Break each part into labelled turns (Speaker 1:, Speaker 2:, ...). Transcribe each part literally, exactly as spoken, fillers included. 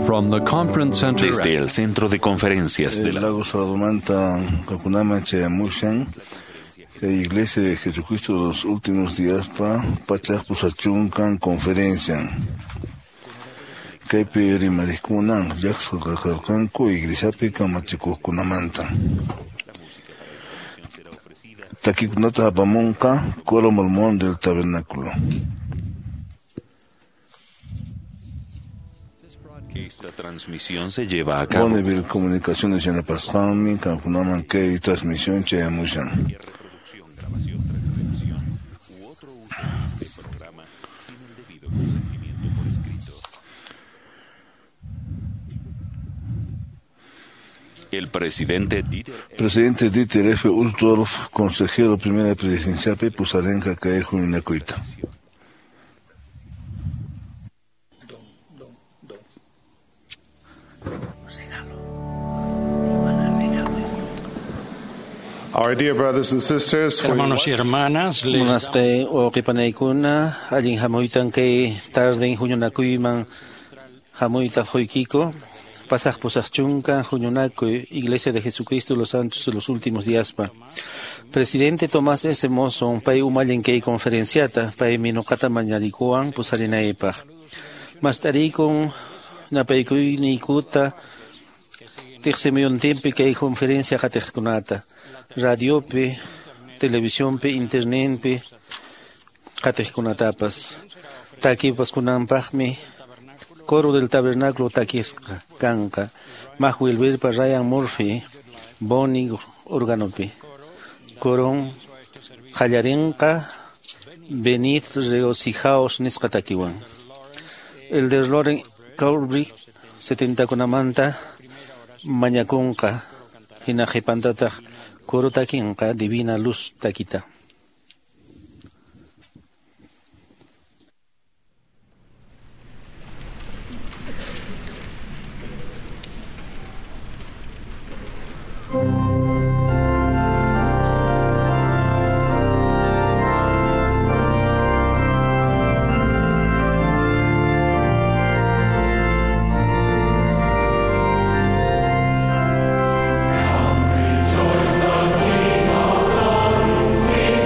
Speaker 1: From the conference center
Speaker 2: Desde el centro de conferencias de
Speaker 3: El
Speaker 2: la
Speaker 3: lago Salomanta, Kakunaman, Chayamushan, la Iglesia de Jesucristo de los Últimos Días, pa Pachaj Pusachunkan, conferencia. Kaypi rimarikunan, llaqsqa karqanku iglesiapi kamachikuqkunamanta. Takikunata apamunqa coro mormón del tabernáculo.
Speaker 2: Esta transmisión se lleva a cabo
Speaker 3: Bonneville Comunicaciones yanapasqanmi kankunaman kay transmisión chayamushan.
Speaker 2: reproducción, grabación, transcripción u otro uso de este programa sin el debido consentimiento por escrito. El presidente Dieter
Speaker 3: Presidente Dieter F. Uchtdorf, consejero primera presidenciapi pusarenqa kay huñunakuyta.
Speaker 4: Our dear brothers and sisters, we
Speaker 5: Hermanos y hermanas, les
Speaker 6: Munasqay wawqipanaykuna allin hamuytan kay tarden huñunakuyman hamuyta huykiko pasaq pusaq chunka huñunakuy Iglesia de Jesucristo de los Santos de los Últimos Díaspa. Presidente Tomás S. Monson pay umallin kay conferenciata paymi nuqata mañarikuwan pusarinaypaq. Mastarikun napaykuyniykuta tiqsimuyuntinpi kay conferencia qatiqkunata radiopi, televisionpi, internetpi qatiqkunatapas. Takipas kunanpaqmi coro del tabernáculo takisqa kanqa Mac Wilberpa Ryan Murphy Bonnie organopi. Coron qallarinqa Venid regocijaos nisqa takiwan. Elder Loren Cowbrick setentakunamanta mañakunqa hina qhipantataq coro takinqa Divina Luz takita.
Speaker 7: Rejoice, the King of glory.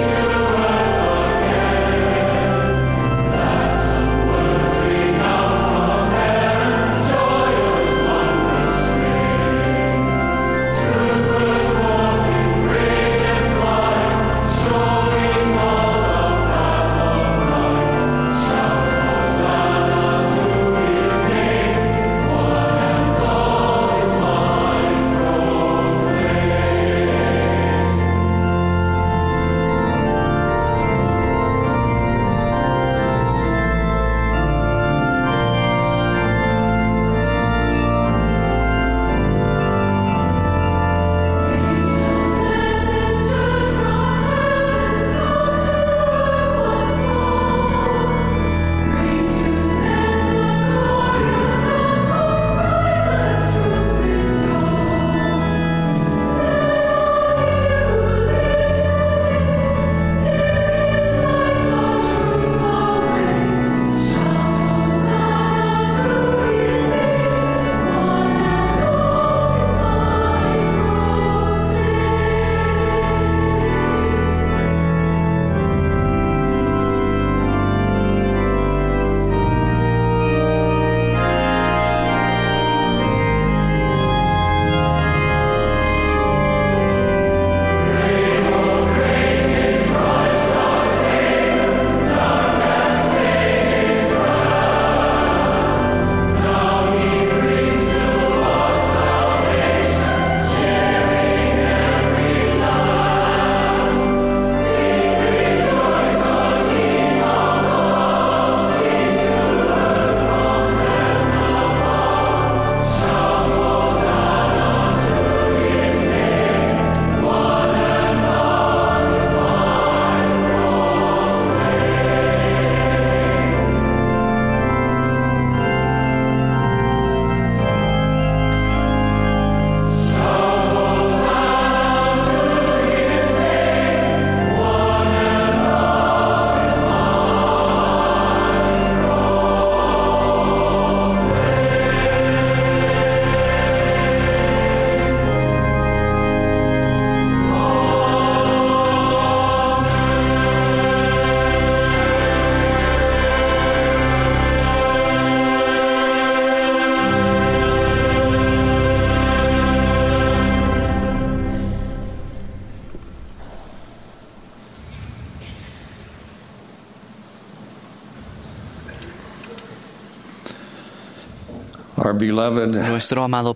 Speaker 1: Our beloved
Speaker 5: Nuestro amado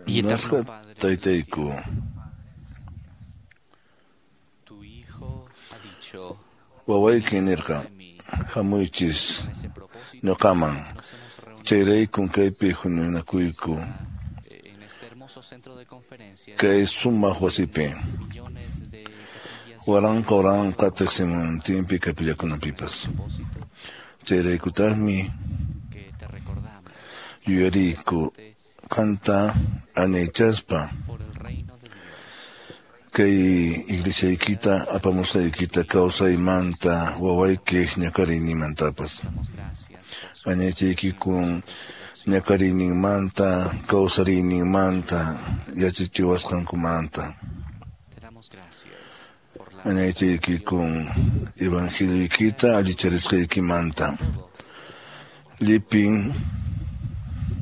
Speaker 5: y eterno
Speaker 3: Munasqa
Speaker 5: Padre,
Speaker 3: taytayku,
Speaker 5: tu Hijo ha dicho
Speaker 3: wawaykin nirqa,
Speaker 5: de mí.
Speaker 3: hamuychis
Speaker 5: Con ese propósito
Speaker 3: ñuqaman.
Speaker 5: nos hemos reunido
Speaker 3: Chayraykun kaypi huñunakuyku,
Speaker 5: en este hermoso centro de conferencias,
Speaker 3: kay sumaq wasipi.
Speaker 5: millones de capillas
Speaker 3: Waranqa waranqa tiqsimuntinpi kapillakunapipas.
Speaker 5: propósito
Speaker 3: Chayraykutaqmi
Speaker 5: que te recordamos
Speaker 3: yuyariyku qanta añaychaspa
Speaker 5: por el reino de Dios.
Speaker 3: kay iglesiaykita apamusqaykita kawsaymanta wawaykiq ñakariyninmantapas.
Speaker 5: Damos gracias por su
Speaker 3: Añaychaykikun ñakariyninmanta kawsariyninmanta yachachiwasqankumanta.
Speaker 5: Te damos gracias por la
Speaker 3: Añaychaykikun evangelioykita allicharisqaykimanta. Llipin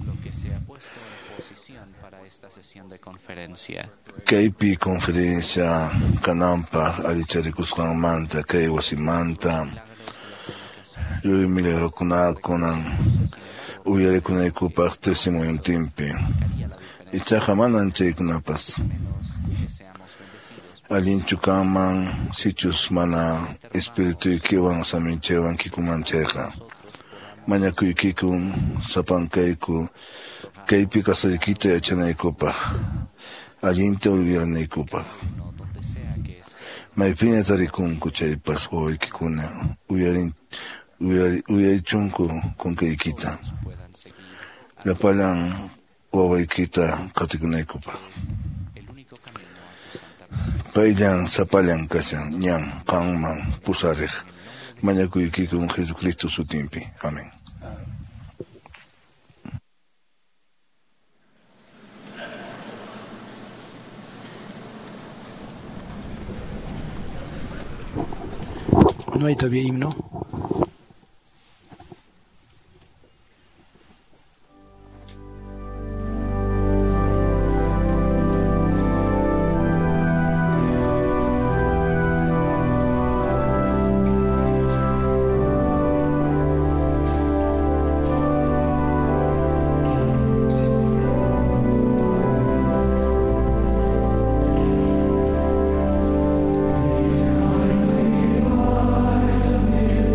Speaker 5: lo que se ha puesto en posición para esta sesión de conferencia.
Speaker 3: kaypi conferencia kananpaq allicharikusqanmanta kay wasimanta
Speaker 5: Milagros de la predicación.
Speaker 3: lluy milagrokunakunan uyarikunaykupaq testimoniontinpi.
Speaker 5: Marcaría la diferencia
Speaker 3: Ichaqa manan chaykunapas.
Speaker 5: menos que seamos bendecidos
Speaker 3: Allinchu kanman sichus mana espirituykiwan saminchaywan kikuman chayqa. Mañakuykikun sapankayku kaypi kasaykita yachanaykupaq, allinta uyarinaykupaq.
Speaker 5: uno donde sea que esté.
Speaker 3: Maypiña tarikunku chaypas wawaykikuna uyarin uyari, uyarichunku kunkaykita.
Speaker 5: Puedan seguir
Speaker 3: Llapallan wawaykita qatikunaykupaq.
Speaker 5: el único camino a tu santa presencia.
Speaker 3: Payllan sapallan kashan ñan qanman pusariq. Mañakuykikun Jesucristo sutinpi. Amén.
Speaker 7: No hay todavía himno.
Speaker 8: Thank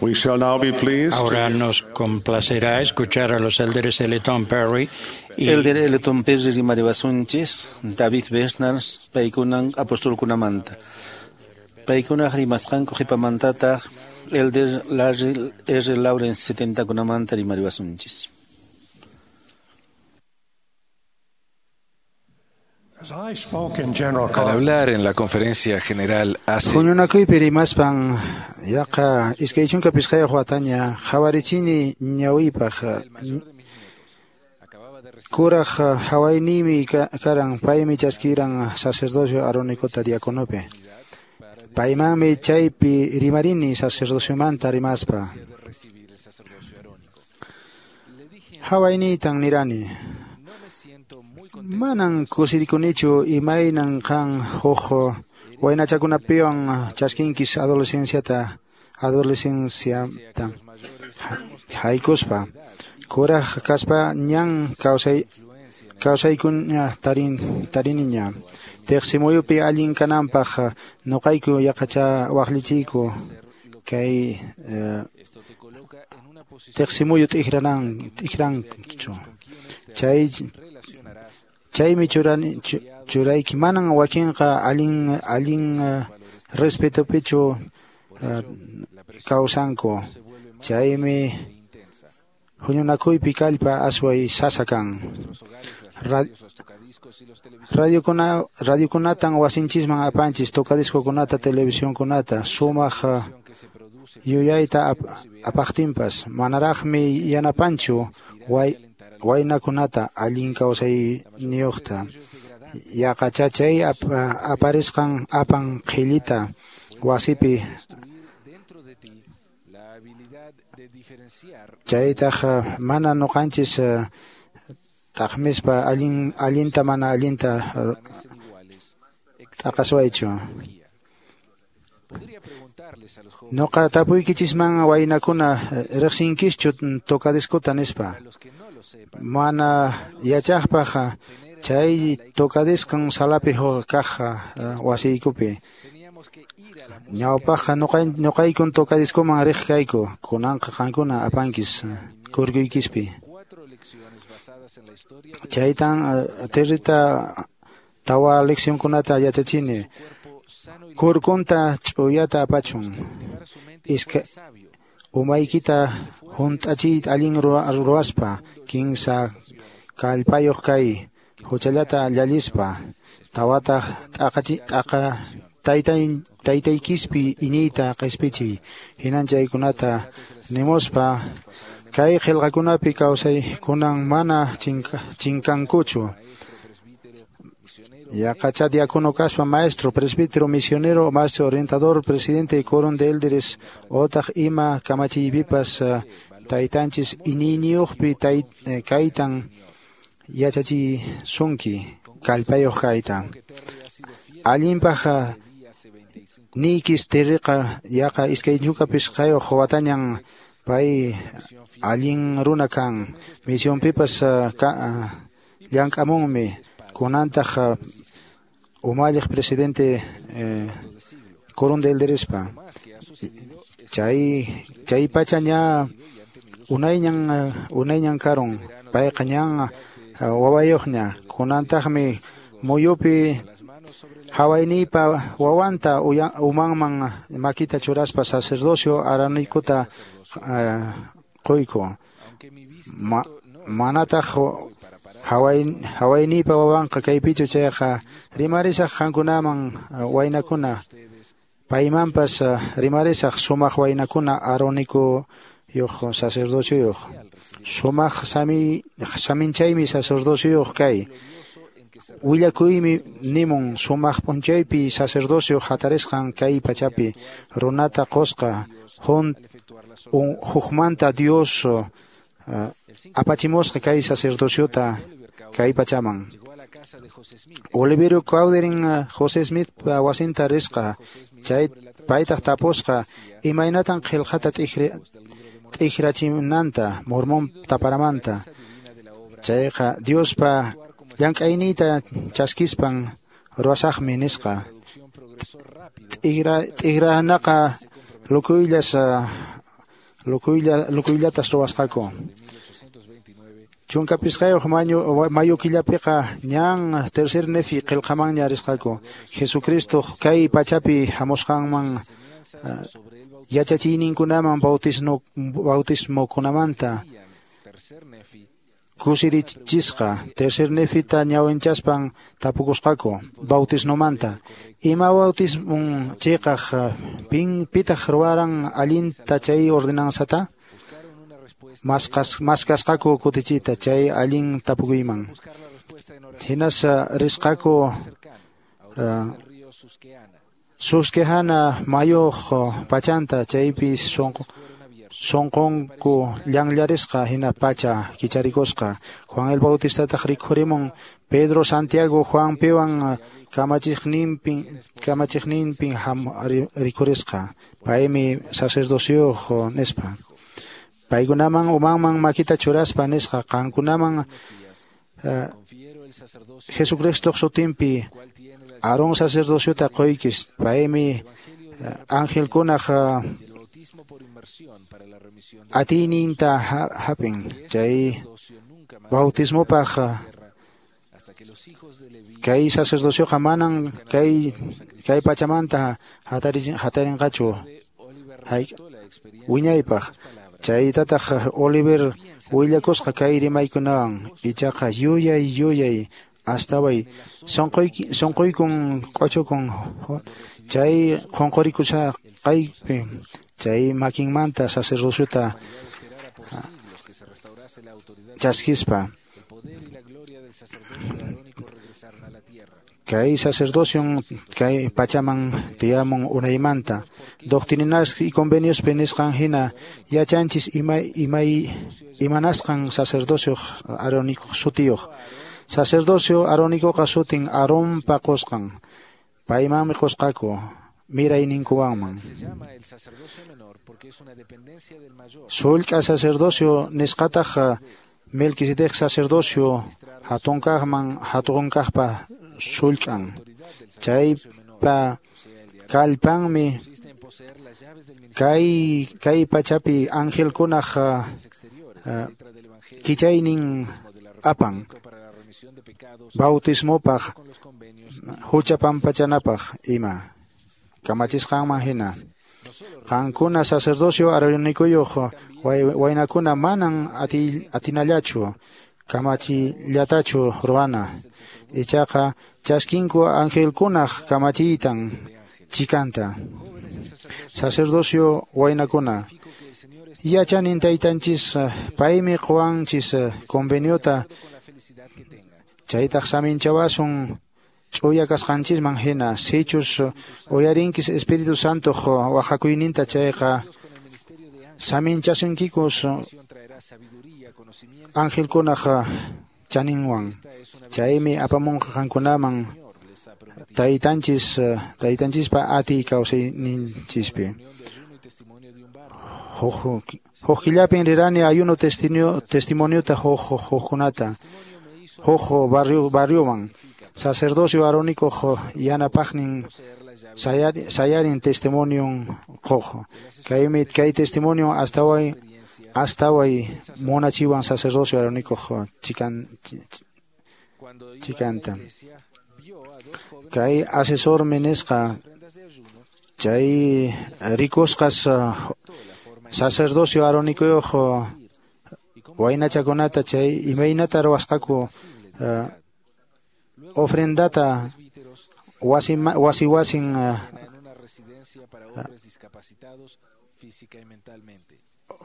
Speaker 4: We shall now be pleased
Speaker 1: Ahora nos complacerá escuchar a los élderes Elton Perry y
Speaker 6: Elder Elton Perry rimariwasunchis, David Bernard, paykunan apostolkunamanta. Paykunaq rimasqanku qhipamantataq Elder Larry R. Lawrence setentakunamanta rimariwasunchis.
Speaker 8: As I spoke in general
Speaker 2: Al
Speaker 8: conference,
Speaker 2: hablar en la conferencia general hace
Speaker 9: Huñunakuypi rimaspan yaqa iskay chunka pichqayuq wataña qhawarichini ñawiypaq kuraq hawayniymi karan paymi chaskiran sacerdocio arónicota diaconopi. Paymanmi chaypi rimarini sacerdociomanta rimaspa. Hawayniytan nirani. Manan kusirikunichu imaynan qan huk waynachakunapiwan chaskinkis adolescenciata adolescenciata haykuspa kuraq kaspa ñan kawsay kawsaykuña tarin tariniña tiqsimuyupi allin kananpaq nuqayku yaqacha waqlichiyku kay eh, tiqsimuyu t'ikranan t'ikranchu chay chaymi churani churayki manan wakinqa allin allin uh, respetopichu uh, kawsanku chaymi huñunakuypi kallpa asway sasa kan. Ra radiokuna radiokunatan wasinchisman apanchis tocadiscokunata televisionkunata sumaq uh, yuyayta ap apaqtinpas manaraqmi yanapanchu way waynakunata allin kawsayniyuqta yaqacha chay ap aparisqan apan qhillita wasipi chaytaq mana nuqanchis taqmispa allin allinta mana allinta t'aqaswaychu. Nuqa tapuykichisman waynakuna riqsinkischu tocadiscota nispa. Mana yachaqpaq chay tocadiscon salapi huk kaq wasiykupi. Ñawpaqqa nuqaykun tocadiscoman riq kayku, kunanqa qankuna apankis kurkuykispi. Chaytan territa tawa leccionkunata yachachini. Kurkunta ch'uyata apachun. Iska umaykita hunt'achiyta allin ruwaspa kinsa kallpayuq kay huchallata llallispa tawataq t'aqachi t'aqa taytay taytaykispi iñiyta qispichiy hinan chaykunata nimuspa kay qillqakunapi kawsaykunan mana chinka chinkankuchu. Yaqacha diácono kaspa maestro, presbítero, misionero, maestro orientador, presidente y quórum de élderes, otaq ima kamachiypipas uh, taytanchis iñiyniyuqpi tay, eh, kaytan yachachisunki kallpayuq kayta. Allinpaq uh, niykis tiriqa yaqa iskay chunka pichqayuq watañan pay allin runa kan misionpipas uh, ka, uh, llank'amunmi kunantaq umalliq presidente eh, quórum de elderespa chay chay pacha ña unayñan unayñan karun payqa ñan wawayuqña kunantaqmi muyupi hawayniypa wawanta umanman makita churaspa sacerdocio aranikuta uh, quyku Ma, manataq Hawai hawayniypa wawanqa kaypichu chayqa rimarisaq qankunaman waynakuna paymanpas rimarisaq sumaq waynakuna arónicuyuq sacerdocioyuq sumaq sami saminchaymi sacerdocioyuq kay willakuymi nimun sumaq p'unchaypi sacerdocio hatarisqan kay pachapi runata qusqa hun hukmanta Dios uh, apachimusqa kay sacerdociota kay pachaman. Oliverio Cowderin José Smith wasinta risqa chay paytaq tapusqa imaynatan qillqata t'ikrachinanta Mormón taparamanta chayqa Diospa llank'ayniyta chaskispan ruwasaqmi nisqa t'ikranaqa lukuyllas uh, lukuylla lukuyllatas ruwasqaku. Chunka pisqayuq mayu killapiqa ñan tercer Nefi qillqamanña risqaku. Jesucristo kay pachapi hamusqanman uh, yachachiyninkunaman bautismo bautismokunamanta kusirichisqa. Tercer Nefita ñawinchaspan tapukusqaku bautismomanta. Ima bautismon chiqaq pin pitaq ruwaran allinta chay ordenanzata? Maskasqaku kutichita chay allin tapukuyman. Hinas risqaku uh, Susquehana mayuq pachanta chaypi sonqo sonqonku llanllarisqa hina pacha kicharikusqa. Juan el Bautistataq rikhurimun Pedro, Santiago, Juan piwan kamachiqninpin kamachiqninpin ham rikhurisqa. Paymi sacerdocioq nispa. Paykunaman umanman makita churaspa nisqa qankunaman uh, Jesucristo sutinpi Aarón sacerdociota qoykis. Paymi uh, angelkunaq uh, atiyninta hapin. Chay bautismopaq uh, kay sacerdocioqa manan kay kay pachamanta hatarinqachu wiñaypaq. Chaytataq Oliver willakusqa kay rimaykunawan ichaqa yuyay yuyay astaway sonqoyki sonqoykun q'uchukun chay qunqurikusqaypi chay makinmanta sacerdociota chaskispa. Kay sacerdocion kay pachaman tiyamun unaymanta. Doctrinas y convenios nisqan hina yachanchis imay imay imanasqan sacerdocio arónico sutiyuq. Sacerdocio arónicoqa sutin Aaronpa qusqan. Paymanmi qusqaku mirayninkuwanman. Sullk'a sacerdocio nisqataq Melquisedec sacerdocio hatunkaqman hatunkaqpa sullk'an. Chaypa kallpanmi kay kay pachapi angelkunaq uh, kichaynin apan bautismopaq hucha pampachanapaq ima kamachisqanman hina. Qankuna sacerdocio aronikuyuq waynakuna manan ati, atinallachu kamachillatachu ruwana. Ichaqa chaskinku angelkunaq kamachiytan chikanta. Sacerdocio waynakuna yachanin taytanchis paymi quwanchis conveniota chaytaq saminchawasun ch'uya kasqanchisman hina. Sichus uyarinkis Espíritu Santo waqakuyninta chayqa saminchasunkikus angelkunaq chaninwan. Chaymi apamunqa qankunaman taytanchis taytanchispa atiy kawsayninchispi. Huk huk killapin rirani ayuno testimonio testimoniota huk hukkunata huk barrio barrioman. Sacerdocio arónico yanapaqnin sayarin testimonion qoq. Kaymi kay testimonio hasta hoy hasta hoy munachiwan sacerdocio arónico chikan chikanta. Kay asesor nisqa chay rikusqas sacerdocio arónicoyuq waynachakunata chay imaynata ruwasqaku uh, ofrendata wasi wasi wasin uh,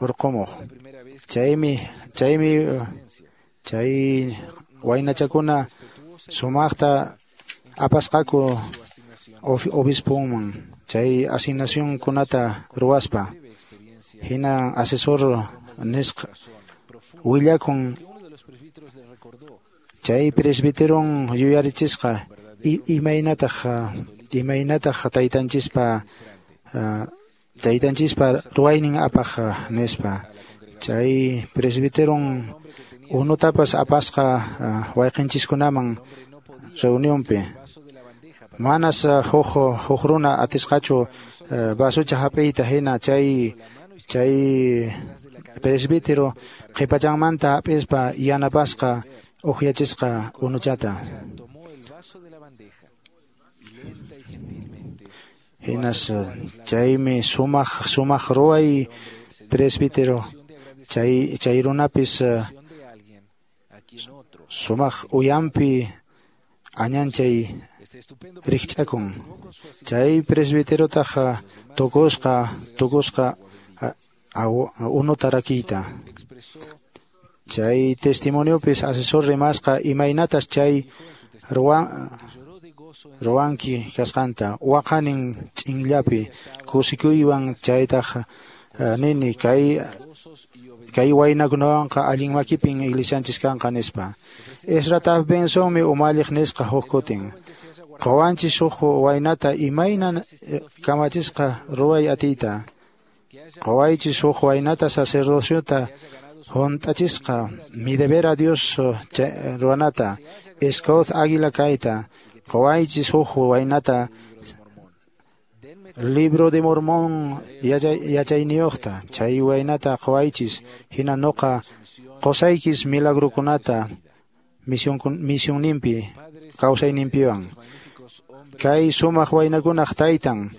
Speaker 9: urqumuq. Chaymi chaymi chay waynachakuna sumaqta apasqaku obispoman chay asignacionkunata ruwaspa. Hina asesor nisqa willakun chay presbiteron yuyarichisqa imaynataq imaynataq taytanchispa taytanchispa ruwaynin apaq nispa. Chay presbiteron unutapas apasqa wayqinchiskunaman reunionpi. Manas huk huk runa atisqachu vasocha hap'iyta hina chay Chay presbítero qhipachanmanta hap'ispa yanapasqa uqyachisqa unuchata. Hinas chaymi sumaq sumaq ruway presbítero chay chay runapis sumaq uyampi añanchay rikch'akun. Chay presbiterotaq tukusqa tukusqa unuta rakiyta. Chay testimoniopis asesor rimasqa imaynatas chay ruwan ruwanki kasqanta waqanin ch'inllapi kusikuywan chaytaq nini kay kay waynakunawanqa allin makipin iglesianchis kanqa nispa. Ezra Taft Bensonmi umalliq nisqa huk kutin. Qawanchis huk waynata imayna kamachisqa ruway atiyta. Qawaychis huk waynata sacerdociota hunt'achisqa mi deber a Dios ruwanata Scout Águila kayta. Qawaychis huk waynata Libro de Mormón yachayniyuqta chay waynata qawaychis hina nuqa qusaykis milagrukunata misionninpi kawsayninpiwan. Kay sumaq waynakunaq taytan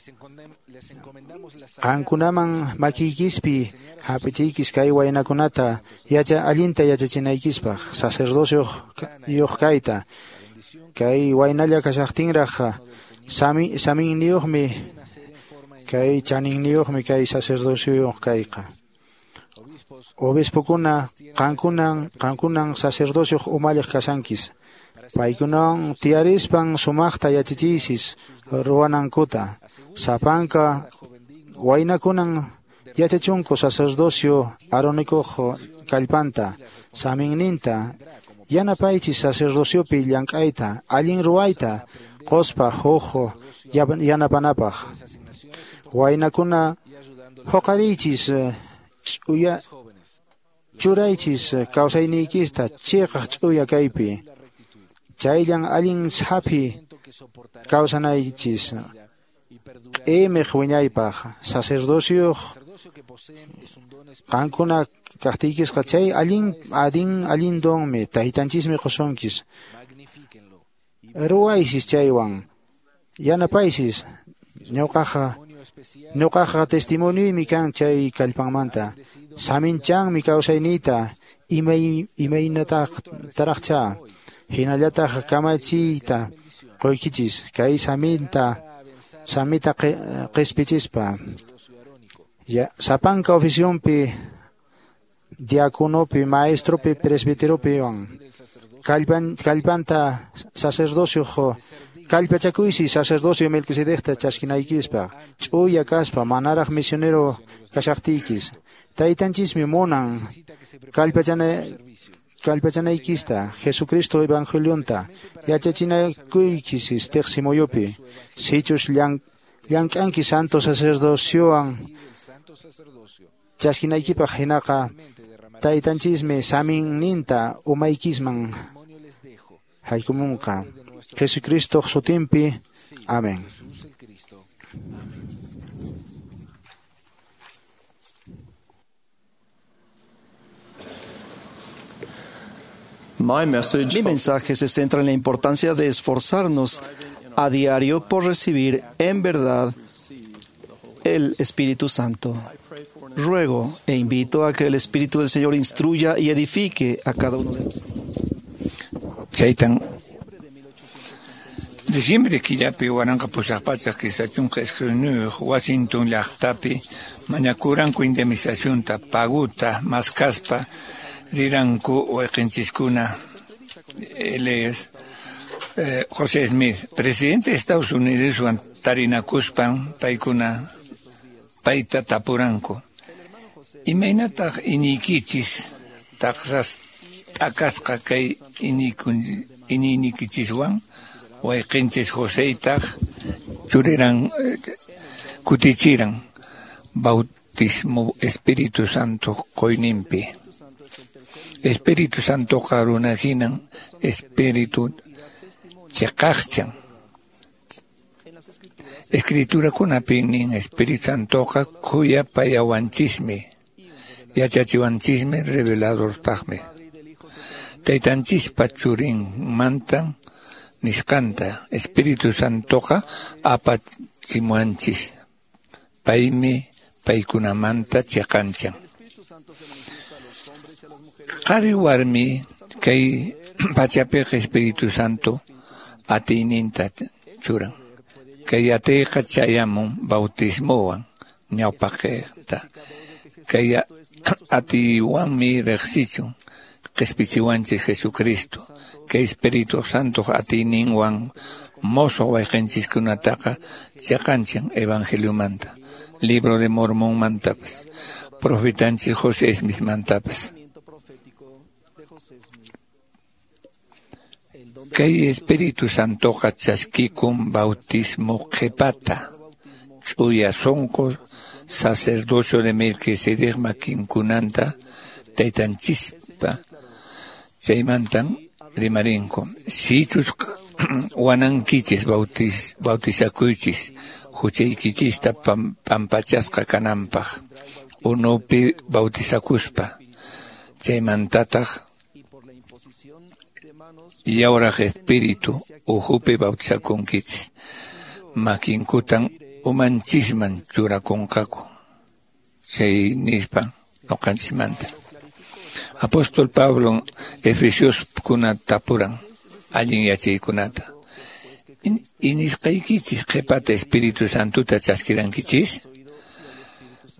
Speaker 9: qankunaman makiykispi hap'ichiykis kay waynakunata yacha allinta yachachinaykispaq sacerdocioyuq kayta. Kay waynalla kashaqtinraq sami saminniyuqmi kay chaninniyuqmi kay sacerdocioyuq kayqa. Obispokuna qankunan qankunan sacerdocioq umalliq kashankis. Paykunawan tiyarispan sumaqta yachachiysis ruwanankuta. Sapanka waynakunan yachachunku sacerdocio aronikuq kallpanta saminninta yanapaychis sacerdociopi llank'ayta allin ruwayta quspa huk yanapanapaq. Waynakuna huqariychis ch'uya churaychis kawsayniykista chiqaq ch'uya kaypi. Chayllan allin sapi kawsanaychis q'imiq wiñaypaq sacerdocioq qankuna kaqtiykisqa chay allin adin allin donmi taytanchismi qusunkis. Ruwaysis chaywan yanapaysis ñuqaqa ñuqaqa testimonioymi kan chay kallpanmanta. Saminchanmi kawsayniyta imay imaynataq taraqcha hinallataq kamachiyta quykichis kay saminta samita qispichispa. Ya sapanka oficionpi diáconopi maestropi presbiteropiwan kallpan kallpanta sacerdocio kallpachakuysi sacerdocio Melquisedecta chaskinaykispa ch'uya kaspa manaraq misionero kashaqtiykis. Taytanchismi munan kallpachana kallpachanaykista Jesucristo evangelionta yachachinakuykisis tiqsimuyupi. Sichus llank'anki santo sacerdociowan chaskinaykipaq hinaqa taytanchismi saminninta umaykisman haykumunqa. Jesucristo sutinpi. Amén.
Speaker 10: Mi mensaje se centra en la importancia de esforzarnos a diario por recibir en verdad el Espíritu Santo. Ruego e invito a que el Espíritu del Señor instruya y edifique a cada uno de nosotros.
Speaker 11: Chaytan diciembre killapi waranqa pusaq pachak kimsa chunka iskayniyuq Washington llaqtapi mañakuranku indemnizacionta paguta maskaspa riranku wayqinchiskuna. Él es eh, José Smith, presidente de Estados Unidos, tarinakuspan paykuna payta tapuranku. Imaynataq iñiykichis taqsas t'akasqa kay iñiynikichiswan wayqinchis Joseytaq churiran kutichiran bautismo Espíritu Santo qoyninpi. Espíritu Santoqa runa hinan Espíritu chiqaqchan. Escriturakunapi nin Espíritu Santoqa khuyapayawanchismi, yachachiwanchismi, reveladortaqmi. Taytanchispa churinmantan nisqanta Espíritu Santoqa apachimuwanchis. Paymi paykunamanta chiqanchan. Qhari warmi kay pachapiqa Espíritu Santo atiyninta churan. Kay atiyqa chayamun bautismowan ñawpaqta. Kay atiywanmi riqsichun qispichiwanchis Jesucristo. Kay Espíritu Santo atiyninwan mozo wayqinchiskunataqa chiqanchan Evangeliomanta, Libro de Mormonmantapas, profetanchis José Smithmantapas. Kay Espíritu Santoqa chaskikun bautismo qhipata, ch'uya sunqu sacerdocio de Melquisedec makinkunanta taytanchispa chaymantan rimarinku. Sichus wanankichis bautis, bautizakuychis huchaykichista pampachasqa kananpaq unupi bautizakuspa chaymantataq yawraq espíritu uhupi bautizakunkichis makinkutan umanchisman churakunqaku chay nispa noqanchismanta. Apóstol Pablo Efesios tapuran allin yachaykunata. Inisqaykichis qhipata Espíritu Santuta chaskirankichis?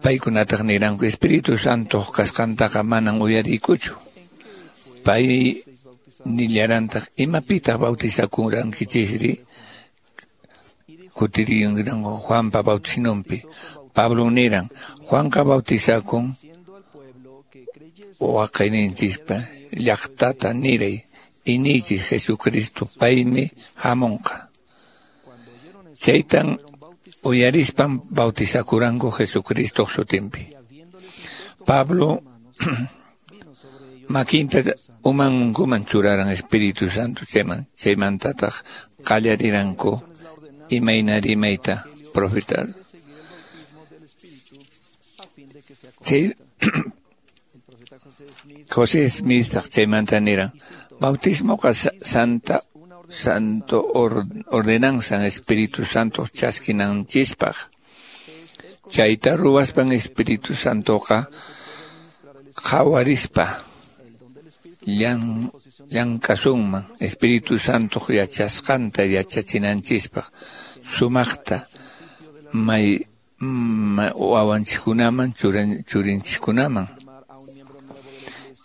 Speaker 11: Paykunataq niranku Espíritu Santo kasqantaqa manan uyariykuchu. Pay nillarantaq imapitaq bautizakurankinchisri? Kutiriranku Juanpa bautisnunpi. Pablo niran Juanqa bautizakun waqayninchispa llaqtata niray inichis Jesucristo paymi hamunqa. Chaytan uyarispan bautizakuranku Jesucristo sutinpi. Pablo makinta umankuman churaran Espíritu Santo chayman chaymantataq qallariranku imayna rimayta profetar. Chay José Smith chaymanta niran bautismoqa santa santo ordenanza Espíritu Santo chaskinanchispaq. Chayta ruwaspan Espíritu Santoqa qhawarispa llan llankasunman Espíritu Santo yachasqanta yachachinanchispaq sumaqta may wawanchiskunaman churinchiskunaman.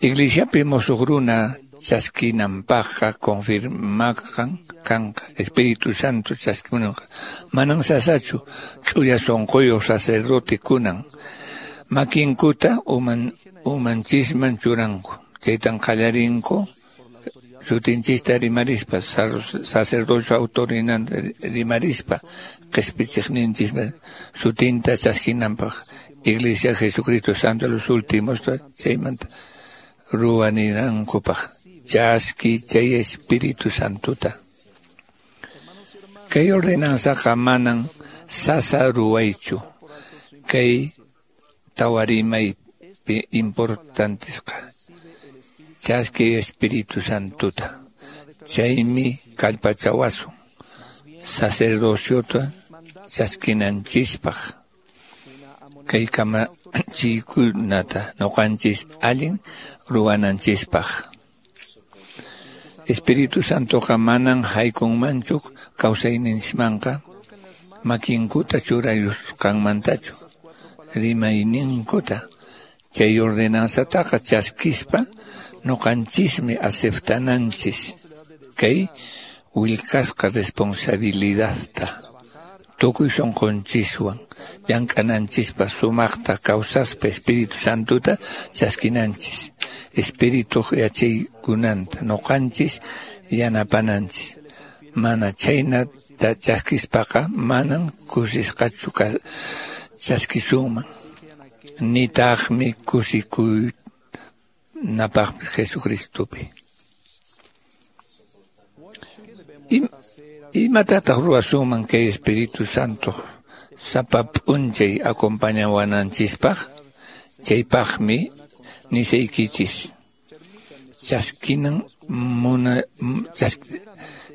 Speaker 11: Iglesiapi musuq runa chaskinanpaqqa confirmaqan kanqa Espíritu Santo chaskinanqa. Manan sasachu ch'uya sunquyuq sacerdote kunan makinkuta uman umanchisman churanku. Chaytan qallarinku sutinchista rimarispa sacerdocio autorinanta rimarispa qispichiqninchispa sutinta chaskinanpaq Iglesia Jesucristo Santo de los Últimos chaymanta ruwaninankupaq chaski chay Espíritu Santuta. Kay ordenanzaqa manan sasa ruwaychu kay tawarimaypi importantisqa chaski Espíritu Santuta. Chaymi kallpachawasun sacerdociota chaskinanchispaq kay kamachiykunata noqanchis allin ruwananchispaq. Espíritu Santoqa manan haykunmanchu kawsayninchismanqa makinkuta churayusqanmantachu rimayninkuta. Chay ordenanzataqa chaskispa noqanchismi aceptananchis kay willkasqa responsabilidadta tukuy sunqunchiswan llank'ananchispa sumaqta kawsaspa Espíritu Santuta chaskinanchis Espíritu yachaykunanta noqanchis yanapananchis. Mana chaynata chaskispaqa manan kusisqachu chaskisunman nitaqmi kusikuynapaqmi Jesucristopi. Im Imatataq ruwasunman kay Espíritu Santo sapa p'unchay acompañawananchispaq? Chaypaqmi nisaykichis. Chaskinan muna chas,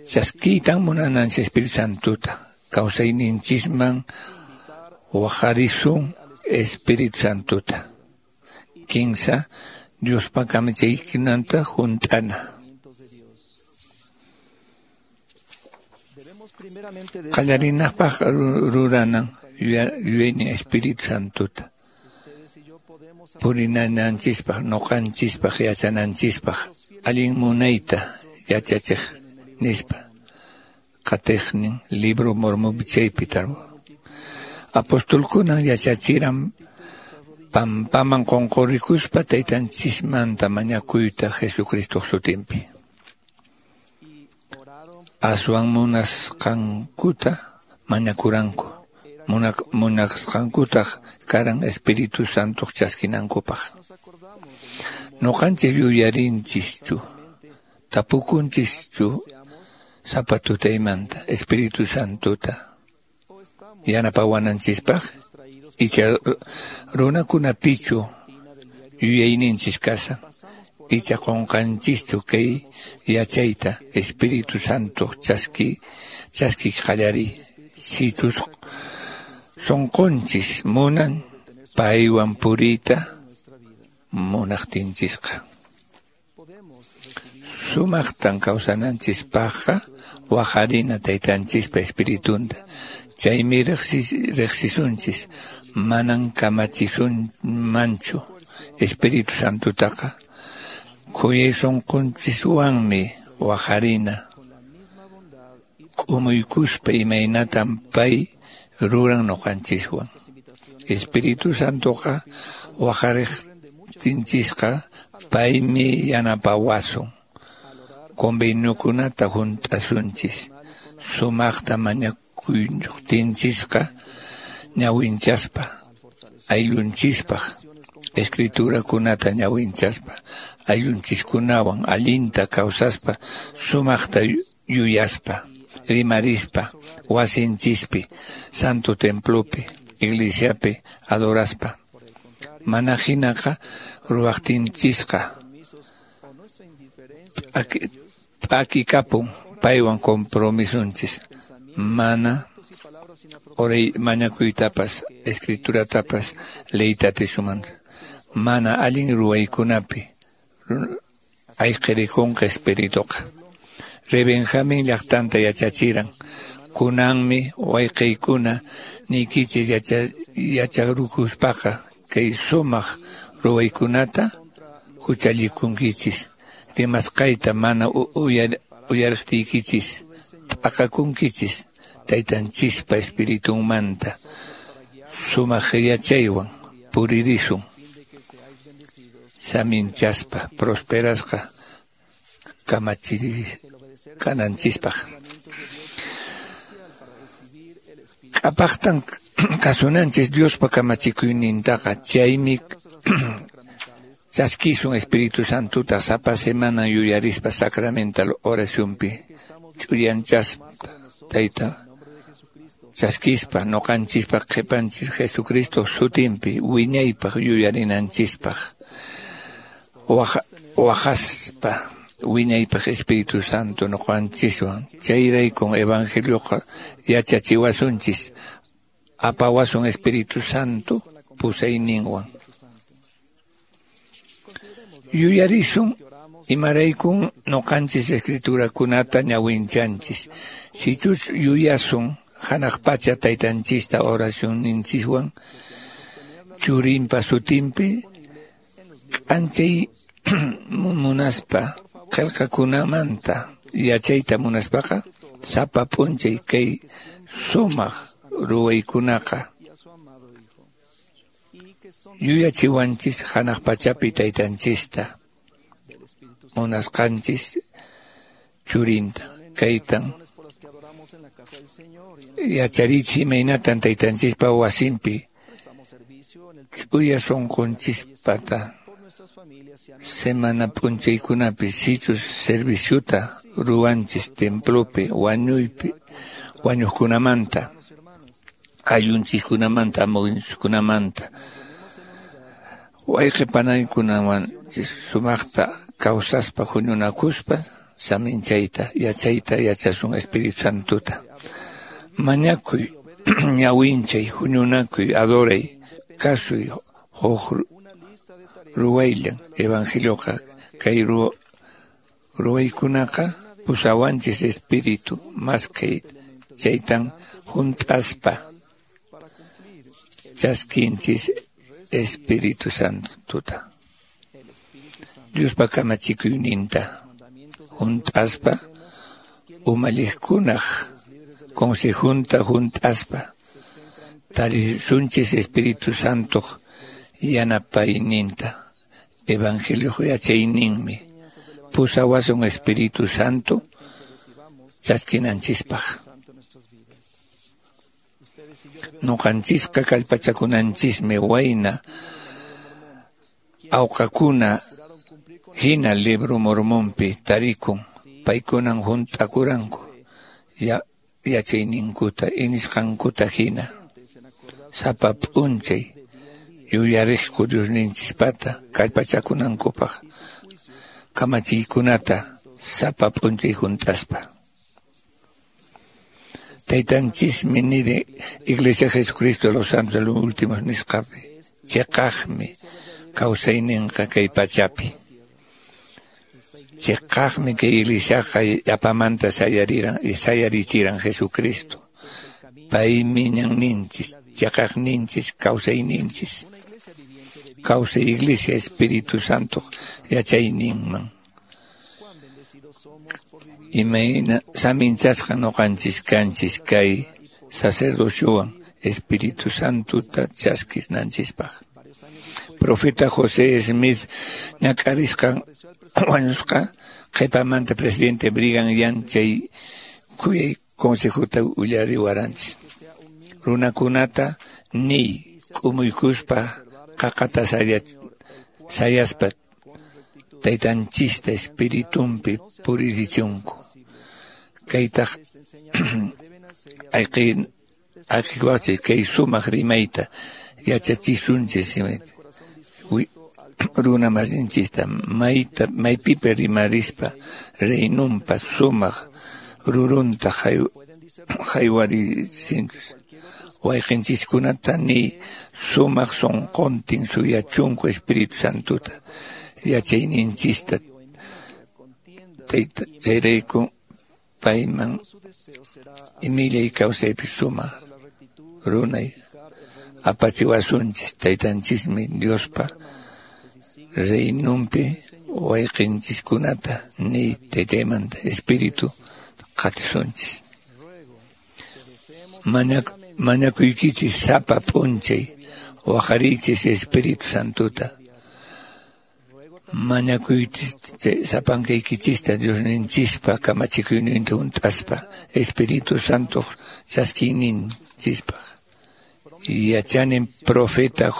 Speaker 11: chaskitan munananchis Espíritu Santota. Kawsayninchisman waqarisun Espíritu Santota. Kinsa Diospa kamachiykunanta hunt'ana. Qallarinapaq ruranan yuyaynin Espíritu Santota. Purinananchispaq, noqanchispaq, yachananchispaq, allin munayta yachachiq nispa. Qatiqnin libro Mormón chaypi tarwa. Apostolkunan yachachiran pampaman qunqurikuspa taytanchismanta mañakuyta Jesucristo sutinpi. Aswan munasqankuta mañakuranku. Munasqankutaq karan Espíritu Santo chaskinankupaq. Noqanchis yuyarinchischu, tapukunchischu sapa tutaymanta Espíritu Santota yanapawananchispaq, icha runakunapichu yuyayninchis kasan, icha qunqanchischu kay yachayta Espíritu Santo chaski chaski qallariy. Sichus sonqonchis munan paywan puriyta munaqtinchisqa. Sumaqtan kawsananchispaqqa waqarina taytanchispa espiritunta. Chaymi riqsisunchis, manan kamachisunmanchu Espíritu Santotaqa. Khuyay sunqunchiswanmi waqarina. K'umuykuspa imaynatan pay ruran noqanchiswan. Espíritu Santoqa waqariqtinchisqa paymi yanapawasun. Conveniokunata hunt'asunchis. Sumaqta mañakuytinchisqa ñawinchaspa, ayllunchispaq, escriturakunata ñawinchaspa, ayllunchiskunawan allinta kawsaspa, sumaqta yuyaspa, rimarispa, wasinchispi, santo templopi, iglesiapi adoraspa. Mana hinaqa ruwaqtinchisqa p'akikapun paywan compromisunchis. Mana oray mañakuytapas, escrituratapas leyta atisunman. Mana allin ruwaykunapi ayqirikunqa espirituqa. Rey Benjamin llaqtanta yachachiran. Kunanmi wayqiykuna niykichis yacharukuspaqa kay sumaq ruwaykunata huchallikunkichis. Rimasqayta mana uyariqtiykichis t'aqakunkichis taytanchispa espiritunmanta. Sumaq yachaywan puririsun. Saminchaspa prosperasqa kamachiris kananchispaq. K'apaqtan kasunanchis Diospa kamachikuynintaqa. Chaymi chaskisun Espíritu Santota sapa semana yuyarispa sacramental oracionpi ch'uyanchaspa tayta chaskispa noqanchispa qhipanchis Jesucristo sutinpi wiñaypaq yuyarinanchispaq. Waqaspa wiñaypaq Espíritu Santo noqanchiswan. Chayraykun evangelioqa yachachiwasunchis, apawasun Espíritu Santo pusayninwan. Yuyarisun imaraykun noqanchis escriturakunata ñawinchanchis. Sichus yuyasun hanaq pacha taytanchista oracionninchiswan churinpa sutinpi k'anchay munaspa qillqakunamanta yachayta munaspaqa sapa p'unchay kay sumaq ruwaykunaqa yuyachiwanchis hanaq pachapi taytanchista munasqanchis churinta. Kaytan yacharichi imaynatan taytanchispa wasinpi ch'uya sunqunchispata Semana p'unchaykunapi sichus serviciota ruwanchis templopi wañuypi wañuqkunamanta, ayllunchiskunamanta, amunchiskunamanta, wayqi panaykunawan sumaqta kawsaspa huñunakuspa saminchayta yachayta yachasun Espíritu Santuta. Mañakuy, ñawinchay, huñunakuy, adoray, kasuy, huk ruwayllan evangelioqa kay ruwaykunaqa pusawanchis Espíritu maskay chaytan hunt'aspa chaskinchis Espíritu Santuta. Diospa kamachikuyninta hunt'aspa umalliqkunaq consejunta hunt'aspa tarisunchis Espíritu Santoq yanapayninta. Evangelio yachayninmi pusawasun Espíritu Santo chaskinanchispaq. Nuqanchisqa kallpachakunanchismi wayna awqakuna hina libro mormonpi tarikun paykunan hunt'akuranku ya yachayninkuta inisqankuta hina sapa p'unchay yuyariqku Diosninchispata kallpachakunankupaq kamachiykunata sapa p'unchay hunt'aspa. Taytanchismi niri Iglesia Jesucristo de los Santos de los Últimos nisqapi chiqaqmi kawsayninqa kay pachapi. Chiqaqmi kay iglesiaqa yapamanta sayariran sayarichiran Jesucristo. Paymi ñanninchis, chiqaqninchis, kawsayninchis. Kawsay Iglesia Espíritu Santo yachayninman. Imayna saminchasqa nuqanchis kanchis kay sacerdociowan Espíritu Santuta chaskinanchispaq. Profeta José Smith ñak'arisqan wañusqa qhipamanta presidente Brigham Young chay khuyay consejota uyariwaranchis. Runakunata niy k'umuykuspa qaqata sayaspa taytanchista espiritunpi puririchunku. Kaytaq ayqin ayqiwachis kay sumaq rimayta yachachisunchis runa masinchista mayta maypipi rimarispa reynunpa sumaq rurunta haywarisinchis. Wayqinchiskunata niy sumaq sunquntin suyachunku Espíritu Santuta yachayninchista chayrayku payman imillay kawsaypi sumaq runay apachiwasunchis. Taytanchismi Diospa reynunpi wayqinchiskunata niy taytaymanta Espíritu qatisunchis. Mañak mañakuykichis sapa p'unchay waqariychis Espíritu Santuta. Mañakuychis sapankaykichista Diosninchispa kamachikuyninta hunt'aspa Espíritu Santoq chaskiyninchispaq. Yachanin profeta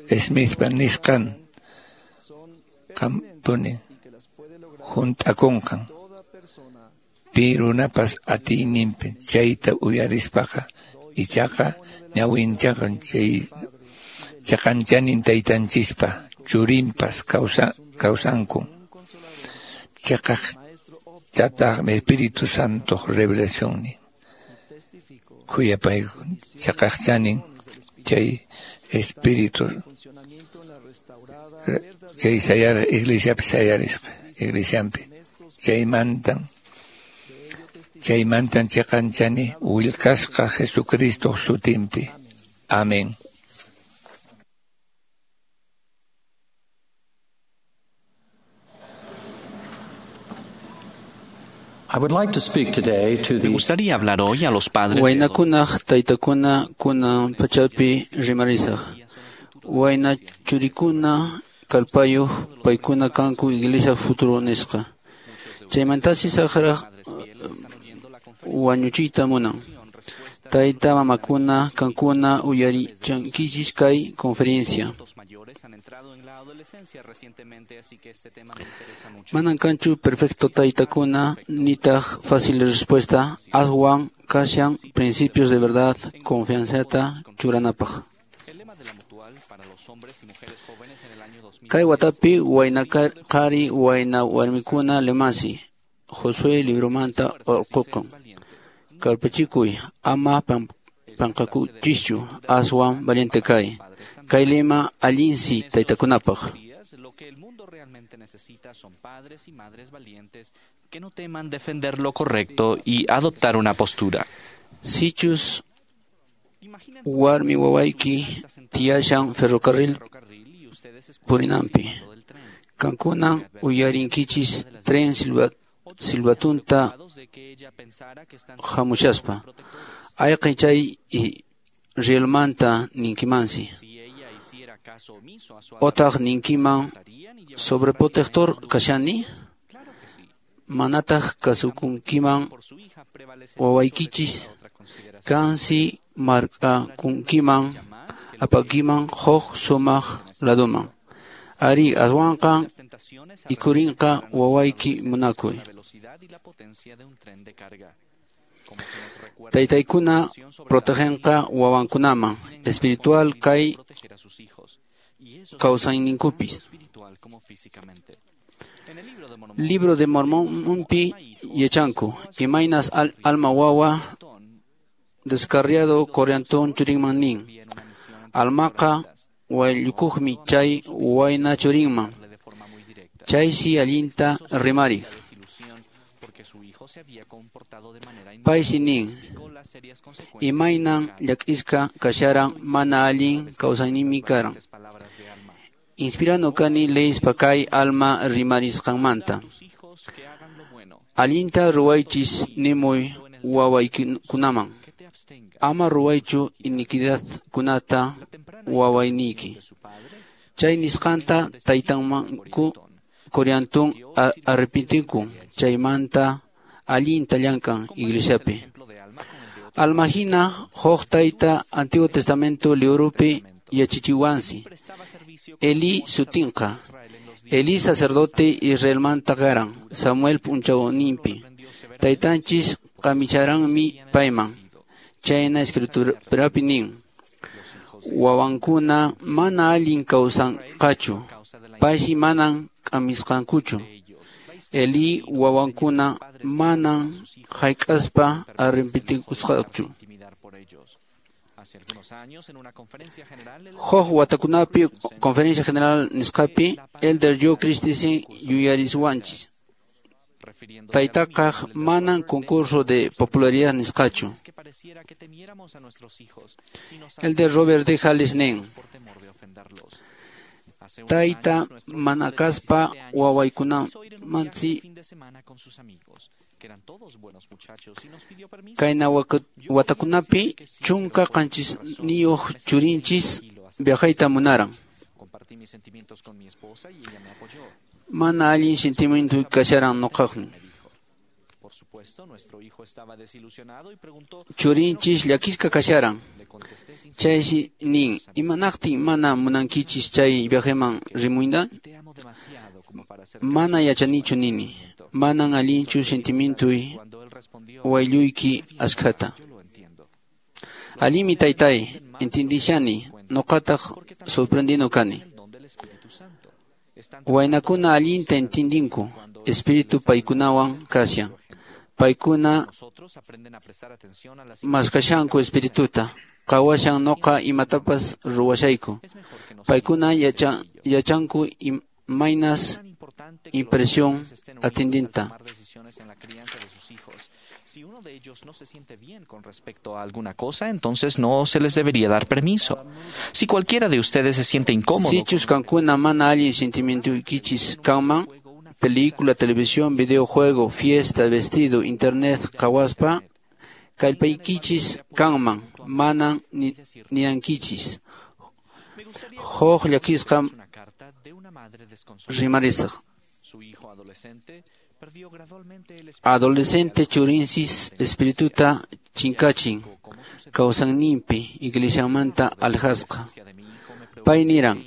Speaker 11: Smithpa nisqan qampuni hunt'akunqan pi runapas atiyninpi chayta uyarispaqa ichaqa ñawinchaqan chay chaqanchanin taytanchispa churinpas kawsa kawsankun. Chaqaq chataqmi Espíritu Santoq revelacionnin khuyapayku chaqaqchanin chay Espíritu chay sayar iglesiapi sayarisqa iglesianpi chaymantan chaymantan chiqanchani willkasqa Jesucristo sutinpi. Amén.
Speaker 5: Me gustaría hablar hoy a los padres.
Speaker 12: Waynakunaq taytakuna kunan pachapi rimarisaq. Wayna churikuna kallpayuq paykuna kanku iglesia futuro nisqa. Chaymantasi saqraq wañuchiyta munan. Tayta mamakuna kankuna uyarichankichis kay conferencia. Manan kanchu perfecto taytakuna nitaq fácil respuesta aswan kashan principios de verdad confianzata churanapaq. Kay watapi wayna qhari wayna warmikuna lemasi Josué libromanta urqukun. Kallpachikuy ama panqakuchischu aswan valiente kay. Kay lema allinsi taytakunapaq.
Speaker 5: Lo que el mundo realmente necesita son padres y madres valientes que no teman defender lo correcto y adoptar una postura.
Speaker 12: Sichus warmi wawayki tiyashan ferrocarril purinanpi. Kankuna uyarinkichis tren silba silbatunta hamushaspa. Ayqin chay rielmanta ninkimansi. Otaq ninkiman sobreprotector kashani? Manataq kasukunkiman wawaykichis kansi markakunkiman apakiman huk sumaq laduman. Ari aswanqa ikurinqa wawayki munakuy. Taytaykuna protegenqa wawankunaman espiritual kay kawsayninkupis. Libro de Mormonpi yachanku imaynas al alma wawa descarriado Coriantón churinman nin. Almaqa wayllukuqmi chay wayna churinman. Chaysi allinta rimari. Paysi nin imaynan llakisqa kasharan mana allin kawsayninmi karan. Inspirano kani leyspa kay alma rimarisqanmanta. Allinta ruwaychis nimuy wawaykikunaman. Ama ruwaychu iniquidadkunata wawayniyki. Chay nisqanta taytanmanku Coriantón arrepintinku chaymanta allinta llankan iglesiapi. Alma hina huk tayta Antiguo Testamento libropi yachachiwansi. Eli sutinqa. Eli sacerdote Israelmanta karan Samuel p'unchawninpi. Taytanchis qamicharanmi payman. Chayna escriturapi nin. Wawankuna mana allin kawsanqachu. Paysi manan q'amisqankuchu. Eli wawankuna manan hayk'aspa arrepentikusqachu. Huk watakunapi Conferencia General nisqapi Elder Joe Christensen yuyariswanchis. Taytaqaq manan concurso de popularidad nisqachu. Elder Robert D. Hales nin. Tayta mana kaspa wawaykunamansi kayna watakunapi chunka qanchisniyuq churinchis viajayta munaran. Mana allin sentimiento kasharan nuqaqmi. Churinchis llakisqa kasharan. Chaysi nin imanaqtin mana munankichis chay viajeman rimuyta? Mana yachanichu nini. Manan allinchu sentimientoy waylluyki askhata. Allinmi taytay, entendishani, nuqataq sorprendino kani. Waynakuna allinta entendinku, espíritu paykunawan kashan. Paykuna maskashanku espirituta, qawashan nuqa imatapas ruwashayku. Paykuna yachanku imaynas impresión atendinta.
Speaker 5: Si uno de ellos no se siente bien con respecto a alguna cosa, entonces no se les debería dar permiso. Si cualquiera de ustedes se siente incómodo...
Speaker 12: Sichus kankuna mana allin sentimientuykichis kanman, película, televisión, videojuego, fiesta, vestido, internet, qawaspa, kallpaykichis kanman, manan ninankichis. Huk llakisqa rimarisaq.
Speaker 5: Su hijo adolescente
Speaker 12: Adolescente churinsis espirituta chinkachin kawsayninpi iglesiamanta alhasqa. Pay niran,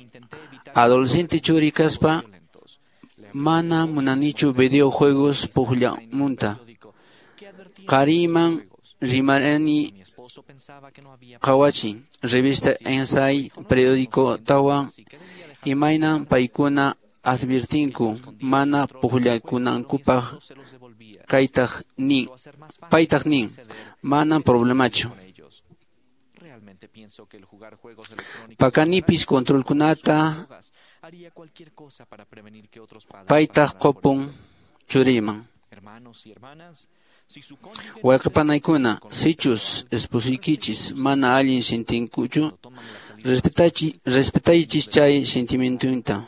Speaker 12: adolescente churi kaspa mana munanichu videojuegos pujllamunta. Qariman rimarani qawachin revista Ensay periódico tawan imaynan paykuna advirtinku mana pujllakunankupaq kaytaq nin paytaq nin manan problemachu. Pakanipis controlkunata paytaq qupun churiman. Wayqipanaykuna sichus esposuykichis mana allin sintinkuchu respetachi respetaychis chay sentimientunta.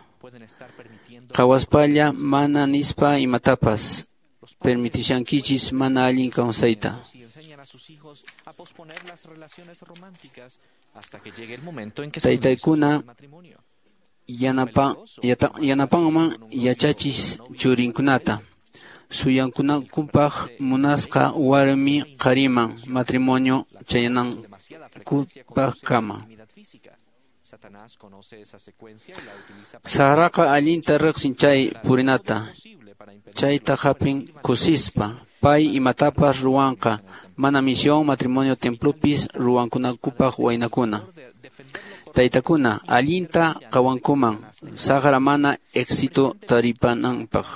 Speaker 12: Qhawaspalla mana nispa imatapas permitishankichis mana allin kawsayta. Taytaykuna yanapa yata, yanapanman yachachis churinkunata suyankunankupaq munasqa warmi qhariman matrimonio chayanankupaqkama. Saqraqa allinta riqsin chay purinata, chayta hapin kusispa, pay imatapas ruwanqa, mana misión matrimonio templopis ruwankunankupaq waynakuna. Taytakuna allinta qawankuman, saqra mana éxito taripananpaq.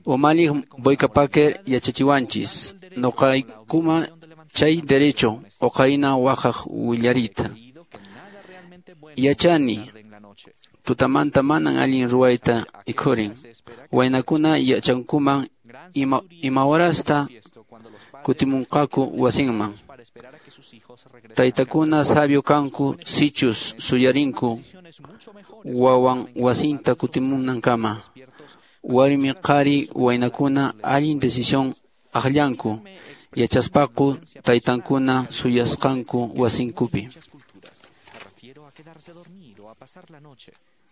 Speaker 12: Umalliq Boyka Packer yachachiwanchis, nuqaykuma chay derecho uqarina waqaq willarita. Yachani, tutamanta manan allin ruwayta ikhurin. Waynakuna yachankuman ima, ima horasta kutimunqaku wasinman. Taytakuna sabio kanku sichus suyarinku wawan wasinta kutimunankama. Warmi qhari waynakuna allin decisión aqllanku yachaspaku taytankuna suyasqanku wasinkupi.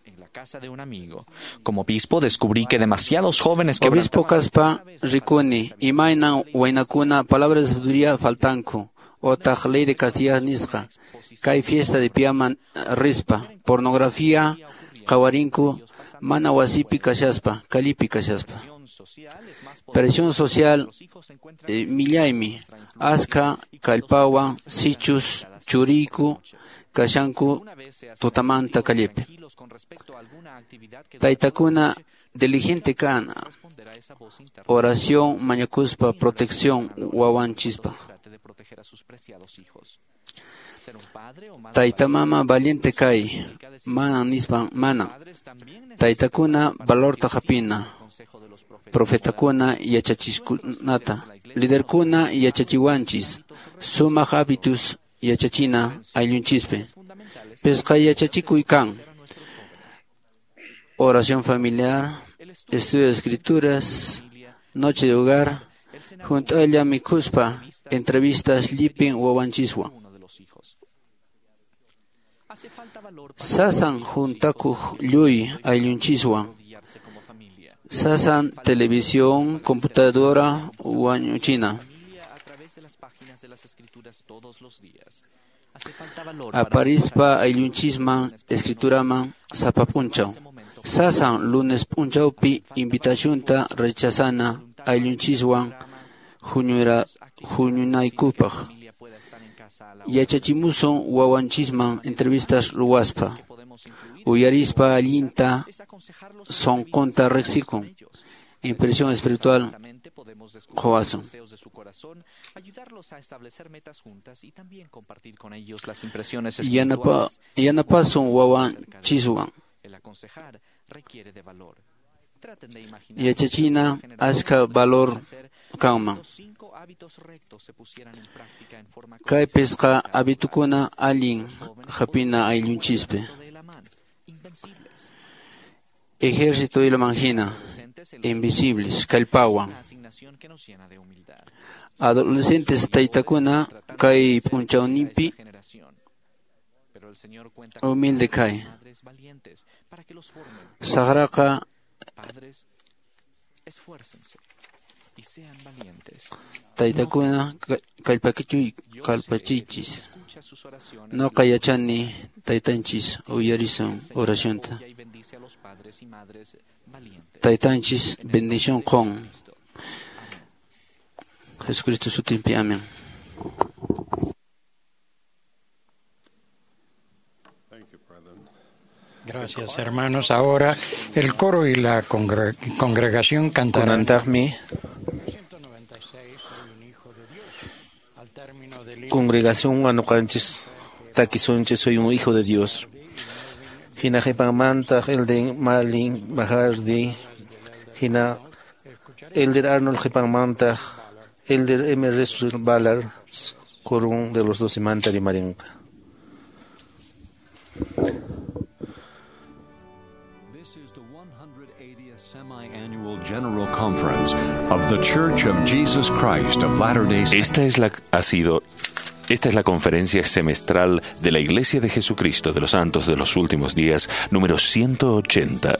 Speaker 5: En la casa de un amigo. Como obispo descubrí que demasiados jóvenes que
Speaker 12: Obispo kaspa rikuni imaynan waynakuna palabras de sabiduría faltanku otaq ley de castidad nisqa kay fiesta de piaman rispa pornografía qawarinku mana wasipi kashaspa kalipi kashaspa. Presión social eh, millaymi aska kallpawan sichus churiku kashanku tutamanta kallipi. Taytakuna diligente kana oración mañakuspa protección wawanchispa. Taytamama valiente kay mana nispa mana. Taytakuna valorta hapina profetakuna yachachiskunata liderkuna yachachiwanchis sumaq hábitus yachachina ayllunchispi. Pisqa yachachikuy kan oración familiar, estudio de escrituras, noche de hogar, junto a ella mikuspa, entrevistas llipin wawanchiswan. Sasan juntakuq lluy ayllunchiswan. Sasan televisión, computadora, wañuchina. Aparispa ayllunchisman, escrituraman, sapa p'unchaw. Sasan lunes p'unchawpi invitacionta rechazana ayllunchiswan huñura huñunaykupaq. Yachachimusun wawanchisman entrevistas ruwaspa. Uyarispa allinta sonqonta riqsikun. Impresión espiritual quwasun. Yanapa, yanapasun wawanchiswan. Yachachina aska valor kanman. Kay pisqa habitukuna allin hapina ayllunchispi. Ejército de la manjina, invisibles, kallpawan. Adolescentes taytakuna kay p'unchawninpi humilde kay. Saqraqa Taytakuna kallpakichuy kallpachiychis. Noqa yachani taytanchis uyarisun oracionta. Taytanchis bendición con Jesucristo sutinpi. Amén.
Speaker 1: Gracias, hermanos. Ahora el coro y la congre congregación cantarán.
Speaker 6: Kunantaqmi congregación anuqanchis takisunchis soy un hijo de Dios. Hina qhipanmantaq Elder Malin Mahardi, hina Elder Arnold qhipanmantaq Elder M. Russell Ballard, quórum de los doce manta rimarinqa.
Speaker 13: General Conference of the Church of Jesus Christ of Latter-day Saints.
Speaker 2: Esta es la ha sido esta es la conferencia semestral de la Iglesia de Jesucristo de los Santos de los Últimos Días, número ciento ochenta.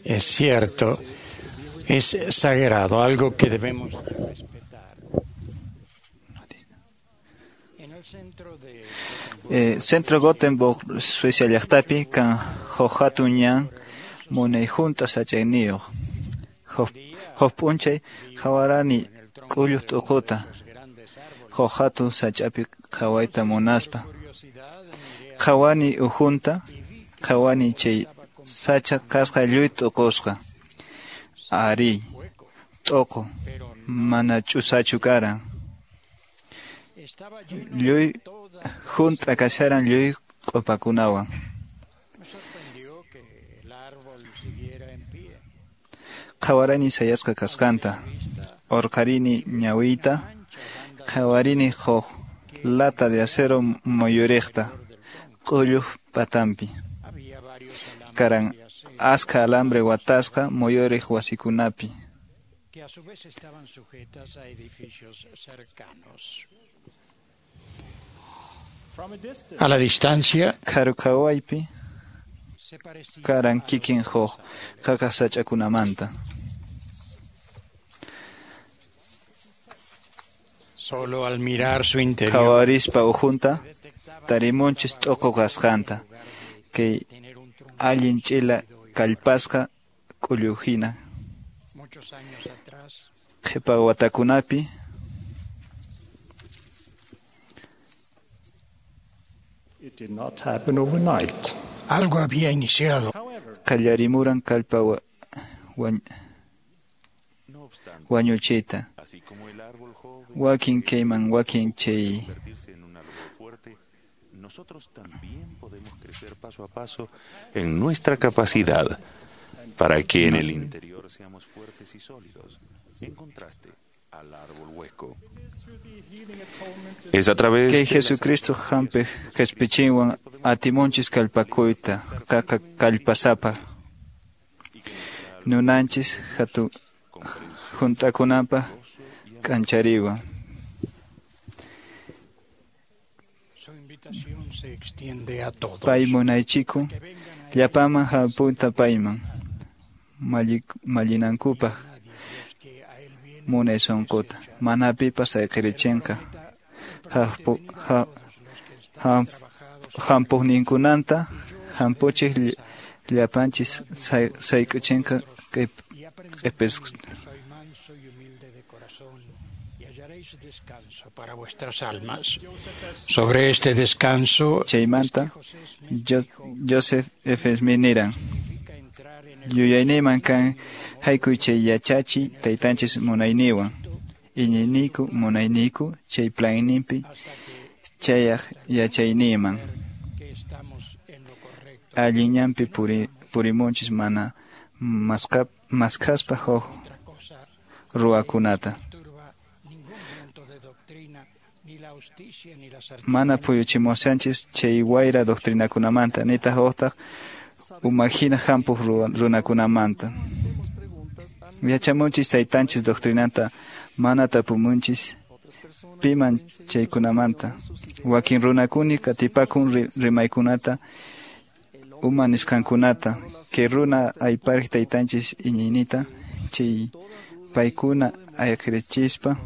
Speaker 1: Es cierto, es sagrado, algo que debemos respetar.
Speaker 14: Eh, Centro Gothenburg, Suecia llaqtapi kan huk hatun ñan munay hunt'a sachayniyuq. Huk p'unchay qhawarani k'ulluq t'uquta, huk hatun sach'api qhawayta munaspa. Qhawani ukhunta, qhawani chay sacha kasqa lluy t'uqusqa. Arí, t'uqu, mana ch'usachu karan. Lluy hunt'a kasharan lluy q'upakunawan. Qhawarani sayasqa kasqanta, urqarini ñawiyta, qhawarini huk lata de acero muyuriqta, k'ulluq patanpi. Karan askha alambre watasqa muyuriq wasikunapi.
Speaker 1: Que a su vez estaban sujetas a edificios cercanos. A la distancia,
Speaker 14: Karukhawaypi karan kikin huk qaqa sach'akunamanta.
Speaker 1: Solo al mirar su interior,
Speaker 14: Qhawarispa ukhunta tarimunchis t'uqu kasqanta, kay allin ch'ila kallpasqa k'ulluhina.
Speaker 1: Muchos años atrás,
Speaker 14: Qhipa watakunapi
Speaker 8: It did not happen overnight.
Speaker 1: Algo había iniciado.
Speaker 14: Qallarimuran kallpa wañuchiyta. Wakin kayman wakin chay.
Speaker 2: Nosotros también podemos crecer paso a paso en nuestra capacidad para que en el interior seamos fuertes y sólidos, en contraste al árbol hueco. Es a través
Speaker 14: Kay
Speaker 2: de
Speaker 14: Jesucristo hampiq qhispichinwan atimunchis kallpakuyta qaqa kallpasapa nunanchis hatu hunt'akunanpaq k'anchariwan.
Speaker 1: Su invitación se extiende a todos.
Speaker 14: Pay munaychikun llapaman hampunta payman mallinankupaq munay sunquta mana pipas ayqirichinqa hampuqninkunanta hampuchiq llapanchis sayk'uchinqa q'ipis.
Speaker 1: Para vuestras almas. Sobre este descanso,
Speaker 14: chaymanta Joseph F. Smith niran: Yuyayniyman kan haykuy chay yachachiy taytanchis munayniwan, iñiyniku munayniku chay planninpi chayaq yachayniyman. Allin ñanpi purimunchis mana maskhaspa huk ruwakunata. Mana puyuchimuwanchis chay wayra doctrinakunamanta nitaq utaq umahina hampuq runakunamanta. Yachamunchis taytanchis doctrinanta mana tapumunchis piman chaykunamanta. Wakin runakuni qatipakun rimaykunata uma nisqankunata kay runa aypariq taytanchis iñiynita chay paykuna ayqirichispa.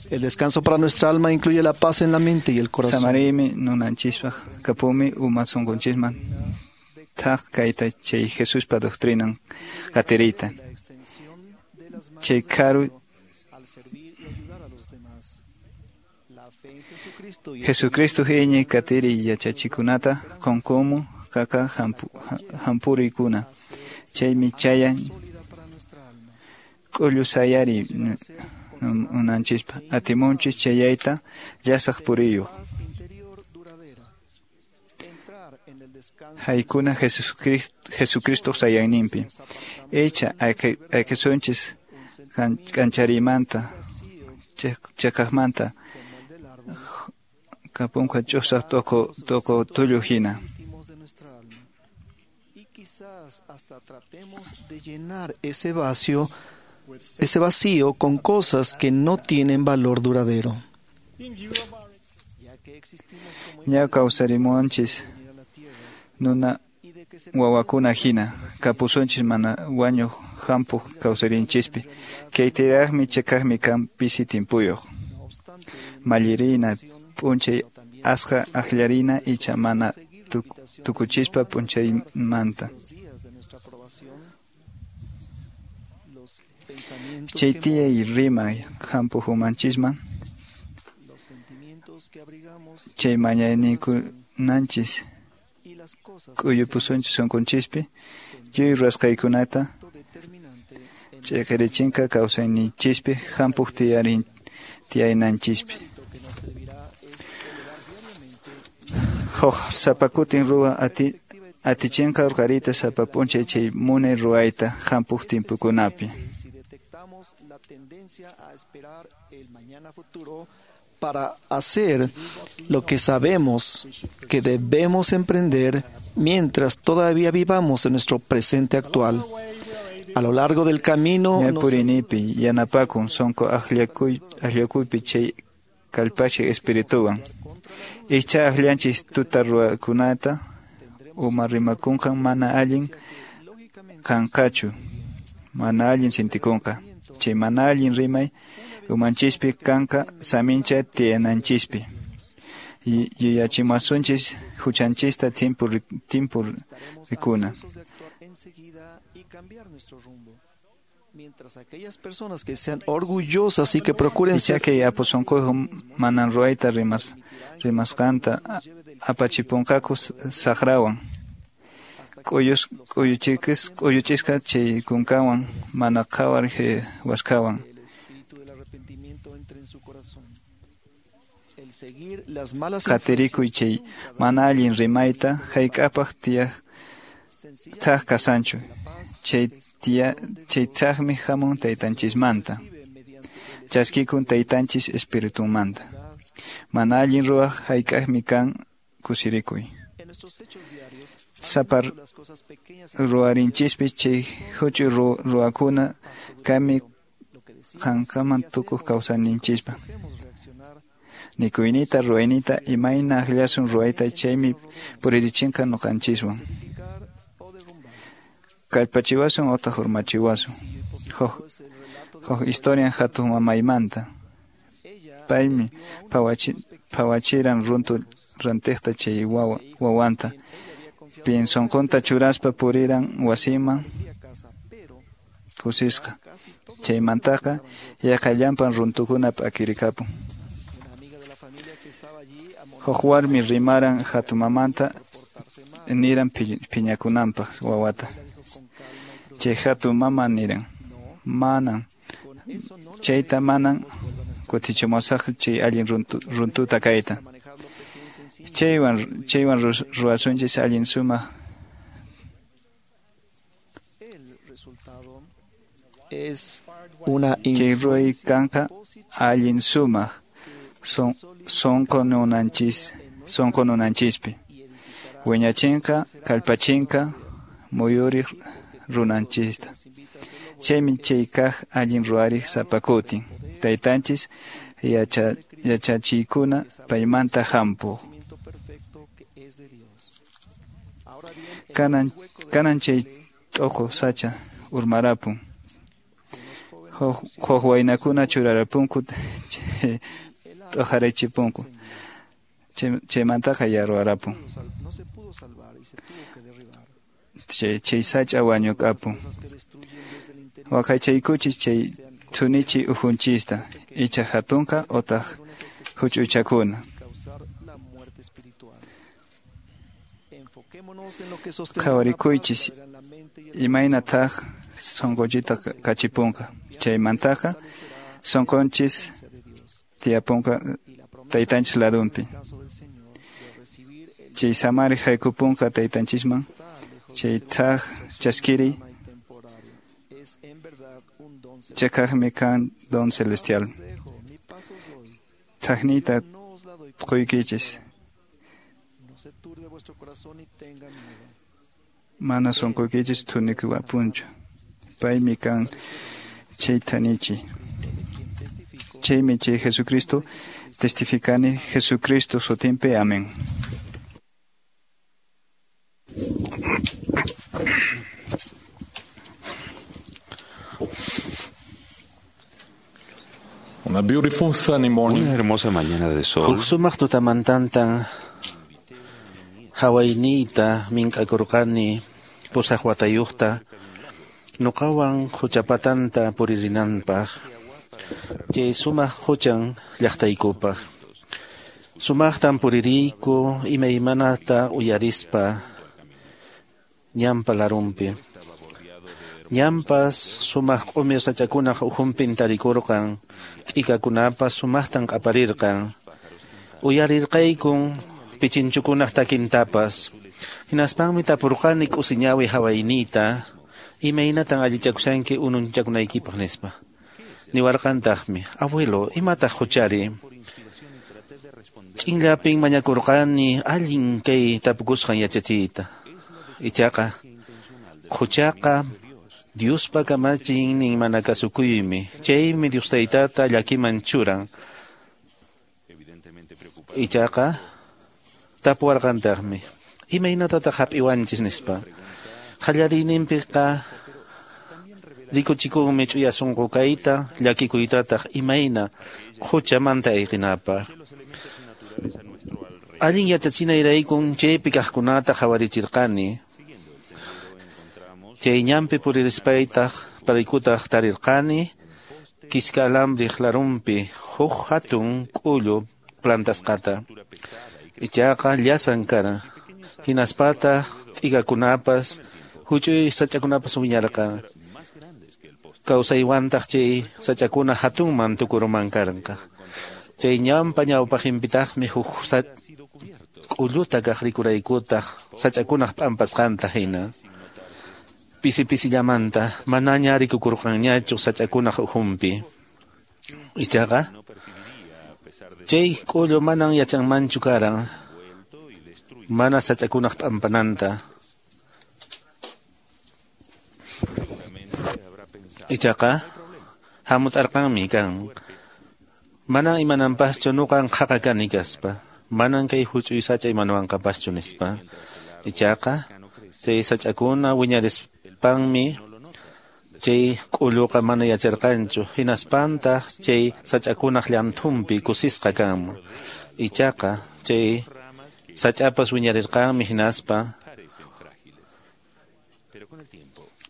Speaker 10: El descanso para nuestra alma incluye la paz en la mente y el corazón.
Speaker 14: Samarimi nunanchispaq kapumi uma sunqunchisman thaq kayta chay Jesuspa doctrinan qatiriyta. Chay karu Jesucristo iñiy qatiriy yachachikunata qunkumu qaqa hampuriykuna. Chaymi chayan k'ullu sayariy unanchispa atimunchis chayayta llasaq puriyuq. Haykuna Jesucristo sayayninpi. Icha ayqisunchis k'ancharimanta chiqaqmanta kapunqa ch'usaq t'uqu t'uqu tullu hina.
Speaker 10: Hasta tratemos de llenar ese vacío, ese vacío con cosas que no tienen valor duradero.
Speaker 14: Ña kawsarimunchis nuna wawakuna hina kapusunchis mana wañuq hampuq kawsarinchispi. Kaytiraqmi chiqaqmi kan pisi timpuyuq. Mallirina p'unchay asqa aqllarina icha mana tukuchispa p'unchaymanta. Chay tiyay rimay hampuq umanchisman chay mañayninkunanchis k'uyupusunchis sunqunchispi lluy ruwasqaykunata ch'iqirichinqa kawsayninchispi hampuq tiyarin tiyaynanchispi. Huk sapa kutin ruwa ati Atichinqa urqarita sapa p'unchay chay munay ruwayta hampuq timpukunapi.
Speaker 10: Para hacer lo que sabemos que debemos emprender mientras todavía vivamos en nuestro presente actual. A lo largo del camino
Speaker 14: Ña purinipi yanapakun sonqo akllakuy akllakuypi chay kallpachik espirituwan. Icha akllanchis tuta ruwakunata uma rimakunqa mana allin kanqachu, mana allin sintikunqa. Chay mana allin rimay umanchispi kanqa samincha tiyananchispi. Yuyachimasunchis huchanchista timpu timpu rikuna.
Speaker 10: Mientras aquellas personas que sean orgullosas y que procuren
Speaker 14: ser que apu sonqoyuq manan ruwayta rimas rimasqanta apachipunqaku saqrawan. K'uyus k'uyuchikis k'uyuchisqa chay kunkawan mana qhawar waskawan. Qatirikuy chay mana allin rimayta hayk'apaq tiyaq thaq kasanchu. Chay tiya chay thaqmi hamun taytanchismanta. Chaskikun taytanchis espiritunmanta. Mana allin ruwaq hayk'aqmi kan kusirikuy. Sapa ruwarinchispi chay huch'uy ruwakuna kami qanqaman tukuq kawsayninchispa. Nikuynita ruwaynita imayna akllasun ruwayta chaymi puririchinqa ñuqanchiswan. Kallpachiwasun otaq urmachiwasun. Huk huk historian hatun mamaymanta. Paymi phawachi phawachiran runtu rantiqta chay wawa wawanta. Pin sonqonta churaspa puriran wasiman kusisqa. Chaymantaqa yaqallampan runtukuna p'akirikapun. Huk warmi rimaran hatumamanta niran phiñakunanpaq wawata. Chay hatun mama niran manan chayta manan kutichimusaq chay allin runtu, runtuta kayta. Chaywan chaywan ruwasunchis allin sumaq. Chay ruway kanqa allin sumaq son sonqo nunanchis sonqo nunanchispi. Wiñachinqa kallpachinqa muyuriq runanchista. Chaymi chay kaq allin ruwariq sapa kutin. Taytanchis yacha yachachiykuna paymanta hampuq. Kanan kanan chay t'uqu sacha urmarapun. Huk huk waynakuna churarapunku t'uqarichipunku. Chaymantaqa yarwarapun. Chay chay sacha wañukapun. Waqaychaykuchis chay thunichi ukhunchista icha hatunqa otaq huch'uychakuna. Qhawarikuychis imaynataq sonqochita kachipunqa. Chaymantaqa sonqonchis tiyapunqa taytanchis ladunpi. Chay samari haykupunqa taytanchisman. Chay thaq chaskiri chakaqmi kan don celestial. Thaqniyta quykichis. Mana sonqoykichis thunikuwapunchu. Paymi kan chay thanichi. Chaymi chay Jesucristo testificani Jesucristo sutinpi. Amén.
Speaker 4: Una beautiful sunny morning.
Speaker 2: Una hermosa mañana de sol.
Speaker 6: Huk sumaq tutamantantan hawayniyta mink'akurqani pusaq watayuqta nuqawan quchapatanta puririnanpaq chay sumaq quchan llaqtaykupaq. Sumaqtan puririyku imaymanata uyarispa ñanpa larunpi. Ñanpas sumaq q'umir sachakunaq ukhunpin tarikurqan, t'ikakunapas sumaqtan q'aparirqan. Uyarirqaykun pichinchukunaq takintapas. Hinaspanmi tapurqani k'usiñawi hawayniyta, imaynatan allichakushanki ununchakunaykipaq nispa. Niwarqantaqmi, abuelo, imataq huchari? Ch'inllapin mañakurqani allin kay tapukusqan yachachiyta. Ichaqa, huchaqa Diospa kamachiynin mana kasukuymi, chaymi Dios taytata llakiman churan. Ichaqa, tapuwarqantaqmi, imaynatataq hap'iwanchis nispa. Qallariyninpiqa rikuchikunmi ch'uya sunqu kayta, llakikuytataq imayna huchamanta ayqinapaq. Allin yachachinayraykum chaypi kaqkunata qhawarichirqani. Chay ñanpi puririspaytaq paraykutaq tarirqani kiska alambriq larunpi huk hatun k'ullu plantasqata. Ichaqa llasan karan. Hinaspataq t'ikakunapas huch'uy sach'akunapas wiñarqan. Kawsaywantaq chay sach'akuna hatunman tukuruman karqa. Chay ñanpa ñawpaqinpitaqmi huk k'ulluta kaq rikuraykutaq sach'akunaq p'ampasqanta hina. Pisi pisillamanta manaña rikukurqanñachu sach'akunaq ukhunpi. Ichaqa chay k'ullu manan yachanmanchu karan mana sach'akunaq p'ampananta. Ichaqa hamut'arqanmi kan. Manan imananpaschu nuqan qhaqa kani kaspa. Manan kay huch'uy sach'a imanuwanqapaschu nispa. Ichaqa chay sach'akuna wiñarispanmi chay k'ulluqa mana yacharqanchu. Hinaspantaq chay sach'akunaq llanthunpi kusisqa kanman. Ichaqa chay sach'apas wiñarirqanmi hinaspa.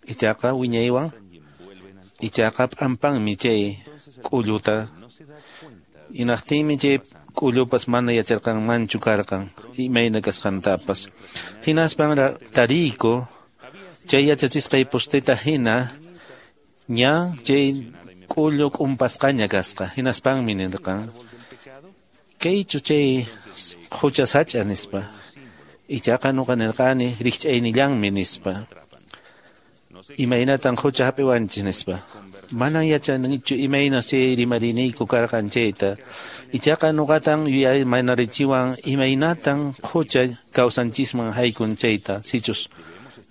Speaker 6: Ichaqa wiñaywan ichaqa p'ampanmi chay k'ulluta. Hinaqtinmi chay k'ullupas mana yacharqanmanchu karqan imayna kasqantapas. Hinaspan tariyku chay yachachisqay posteta hina ña chay k'ullu k'umpasqaña kasqa. Hinaspanmi nirqan, kaychu chay hucha sach'a nispa. Ichaqa nuqa nirqani rikch'aynillanmi nispa. Imaynatan hucha hap'iwanchis nispa. Manan yachanichu imaynas chay rimariniyku karqan chayta. Ichaqa nuqatan yuyaymanarichiwan imaynatan hucha kawsanchisman haykun chayta sichus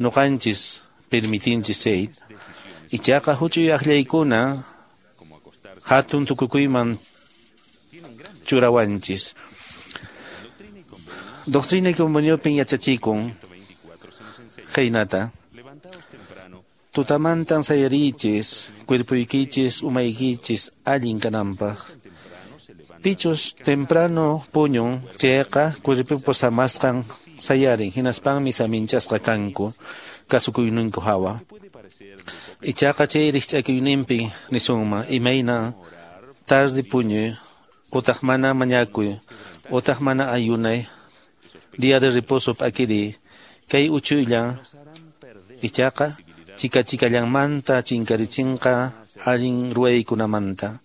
Speaker 6: nuqanchis permitinchis chayta. Ichaqa huch'uy akllaykuna hatun tukukuyman churawanchis. Doctrina y Conveniopin yachachikun khaynata. Tutamantan sayarichis, cuerpuykichis, umaykichis, allin kananpaq. Pichus temprano puñun, chayqa cuerpupas samasqan sayarin, hinaspanmi saminchasqa kanku, kasukuyninku hawa. Ichaqa chay rikch'akuyninpi nisunman, imayna tarde puñuy, utaq mana mañakuy, utaq mana ayunay, día de reposo p'akiriy, kay uchuylla, ichaqa chika chikallanmanta chinkarichinqa allin ruwaykunamanta.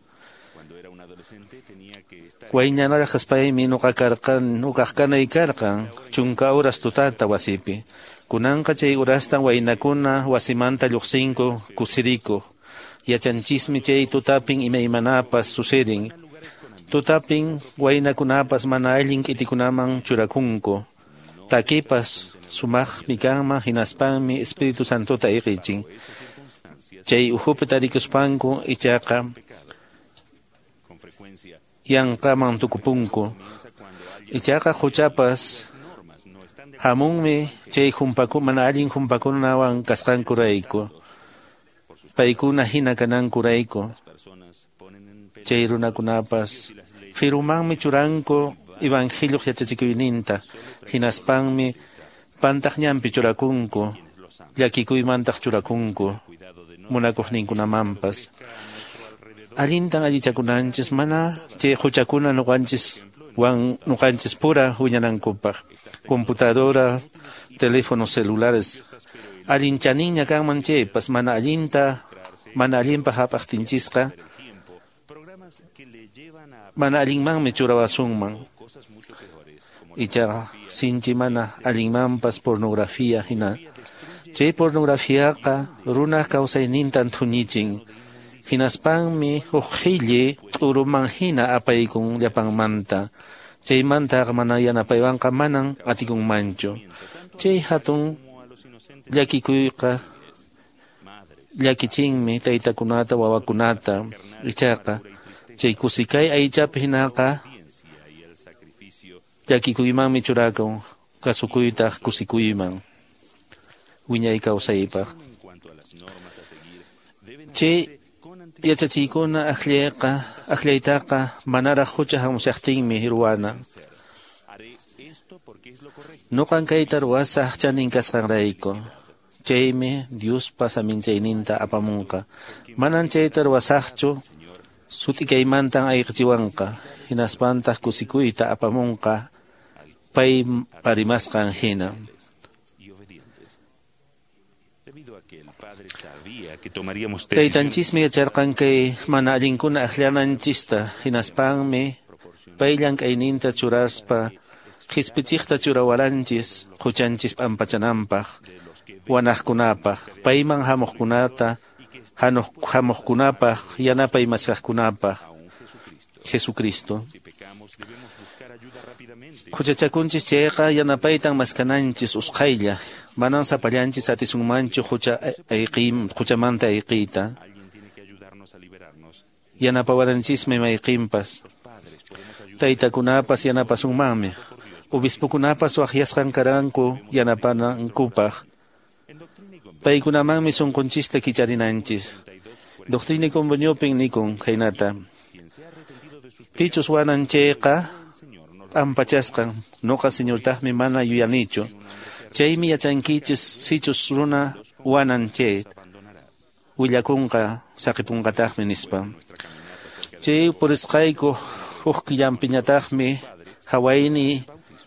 Speaker 6: Waynanaraq kaspaymi nuqa karqan nuqaq kanay karqan chunka horas tutata wasipi. Kunanqa chay horastan waynakuna wasimanta lluqsinku kusirikuq. Yachanchismi chay tutapin imaymanapas sucedin. Tutapin waynakunapas mana allin k'itikunaman churakunku. Takipas sumaqmi kanman hinaspanmi Espíritu Santota iqichin. Chay ukhupi tarikuspanku ichaqa yanqaman tukupunku. Ichaqa huchapas hamunmi chay humpaku mana allin humpakunawan kasqankurayku. Paykuna hina kanankurayku. Chay runakunapas firumanmi churanku evangelio yachachikuyninta. Hinaspanmi pantaq ñanpi churakunku, llakikuymantaq churakunku, munakuqninkunamanpas. Allintan allichakunanchis mana chay huchakuna nuqanchis wan nuqanchis pura wiñanankupaq. Computadora, teléfonos celulares, allin chaninña kanman chaypas mana allinta, mana allinpaq hap'aqtinchisqa, mana allinmanmi churawasunman. Ichaqa sinchi mana allinmanpas pornografía hina. Chay pornografiaqa runaq kawsaynintan thuñichin. Hinaspanmi huk qhilli t'uruman hina apaykun llapanmanta. Chaymantaqa mana yanapaywanqa manan atikunmanchu. Chay hatun llakikuyqa llakichinmi taytakunata wawakunata. Ichaqa chay kusikay aychapi hinaqa llakikuymanmi churakun, kasukuytaq kusikuyman wiñay kawsaypaq. Chay yachachiykuna akllayqa akllaytaqa manaraq hucha hamushaqtinmi ruwana. Nuqan kayta ruwasaq chanin kasqanrayku. Chaymi Diospa saminchayninta apamunqa. Manan chayta ruwasaqchu sut'ikaymantan ayqichiwanqa. Hinaspantaq kusikuyta apamunqa pay parimasqan hina. Taytanchismi yacharqan kay mana allinkuna akllananchista. Hinaspanmi pay llank'ayninta churaspa qhispichiqta churawaranchis huchanchis p'ampachananpaq, wanaqkunapaq, payman hamuqkunata, hamuqkunapaq, yanapay maskaqkunapaq. Jesucristo. Huchachakunchis chayqa yanapaytan maskananchis usqhaylla. Manan sapallanchis atisunmanchu hucha ayqim, huchamanta ayqiyta. Yanapawaranchismi mayqinpas. Taytakunapas yanapasunmanmi. Obispokunapas waqyasqan karanku yanapanankupaq. Paykunamanmi sunqunchista kicharinanchis. Doctrina y Conveniopin nikun khaynata. Pichus wanan chayqa p'ampachasqan, nuqa Señortaqmi mana yuyanichu. Chaymi yachankichis sichus runa wanan chay willakunqa saqipunqataqmi nispa. Chay purisqayku huk killanpiñataqmi hawayni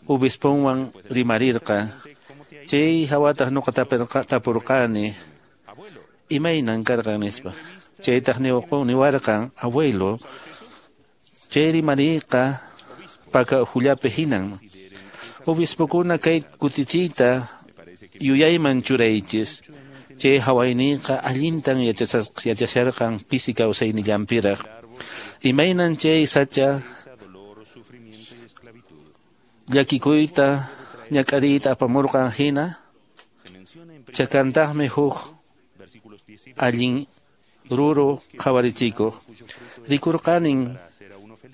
Speaker 6: obisponwan rimarirqa. Chay hawataq nuqa tapurqani imaynan karqan nispa. Chaytaq niwarqan abuelo, chay rimariyqa paka uhullapi hinan. Obispokuna kay kutichiyta yuyayman churaychis. Chay hawayniyqa allintan yachasharqan pisi kawsaynillanpiraq. Imaynan chay sacha llakikuyta ñak'ariyta apamurqan hina, chakantaqmi huk allin ruru qhawarichikuq. Rikurqanin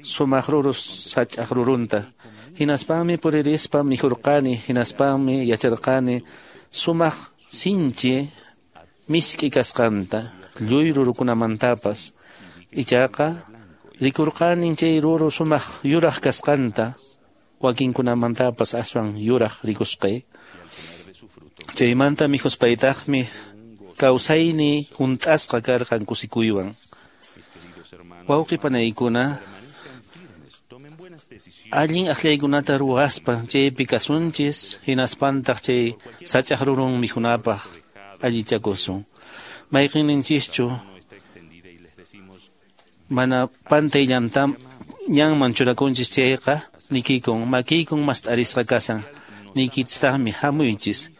Speaker 6: sumaq ruru sach'aq rurunta. Hinaspanmi puririspa mikhurqani, hinaspanmi yacharqani sumaq sinchi misk'i kasqanta lluy rurukunamantapas. Ichaqa rikurqanin chay ruru sumaq yuraq kasqanta, wakinkunamantapas aswan yuraq rikusqay. Chaymanta mikhuspaytaqmi kawsayni hunt'asqa karqan kusikuywan. Wawqi panaykuna, allin akllaykunata ruwaspa chaypi kasunchis, hinaspantaq chay sach'aq rurun mikhunapaq allichakusun. Mayqinninchischu mana pantay llantam ñanman churakunchis chayqa nikiykun makiykun mast'arisqa kasan. Niykitaqmi hamuychis.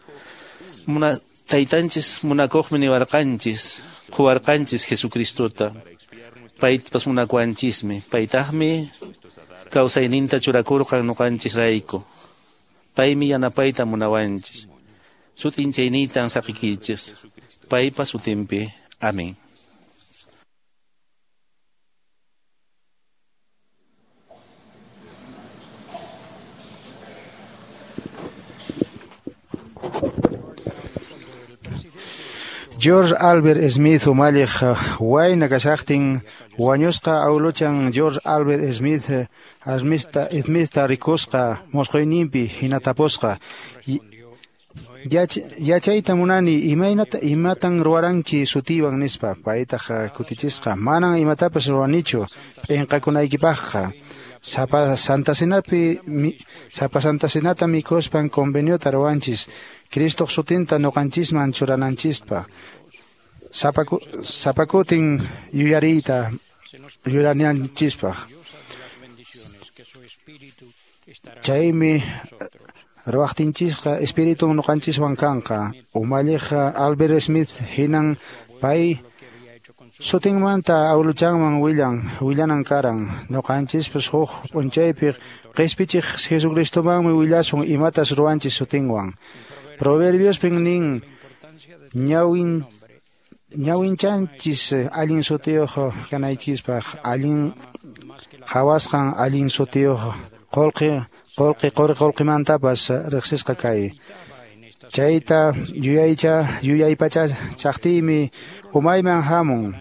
Speaker 6: Muna taytanchis munakuqmi niwarqanchis, quwarqanchis Jesucristota. Paypas munakuwanchismi. Paytaqmi kawsayninta churakurqan nuqanchisrayku. Paymi yanapayta munawanchis. Sut'inchayniytan saqikichis. Paypa sutinpi. Amén.
Speaker 9: George Albert Smith umalliq wayna kashaqtin wañusqa awluchan George Albert Smith Smithta Smithta rikusqa mosqoyninpi hina tapusqa. Yachayta munani imaynata imatan ruwaranki sutiwan nispa. Paytaq kutichisqa manan imatapas ruwanichu p'inqakunaykipaqqa. Sapa Santa Cenapi sapa Santa Cenata mikuspan conveniota ruwanchis Cristoq sutinta nuqanchisman churananchispa. Sapa sapakutin yuyariyta yuyarinanchispaq. Chaymi ruwaqtinchisqa espiritun nuqanchiswan kanqa. Umalliq Albert Smith hinan pay sutinmanta awluchanman willan willanan karan. Nuqanchispas huk p'unchaypi qispichiq Jesucristomanmi willasun imatas ruwanchis sutinwan. Proverbiospin nin ñawin ñawinchanchis allin sutiyuq kanaykispaq, allin qhawasqan allin sutiyuq qullqi qullqi quri qullqimantapas riqsisqa kay. Chayta yuyaycha yuyaypacha chaqtiymi umayman hamun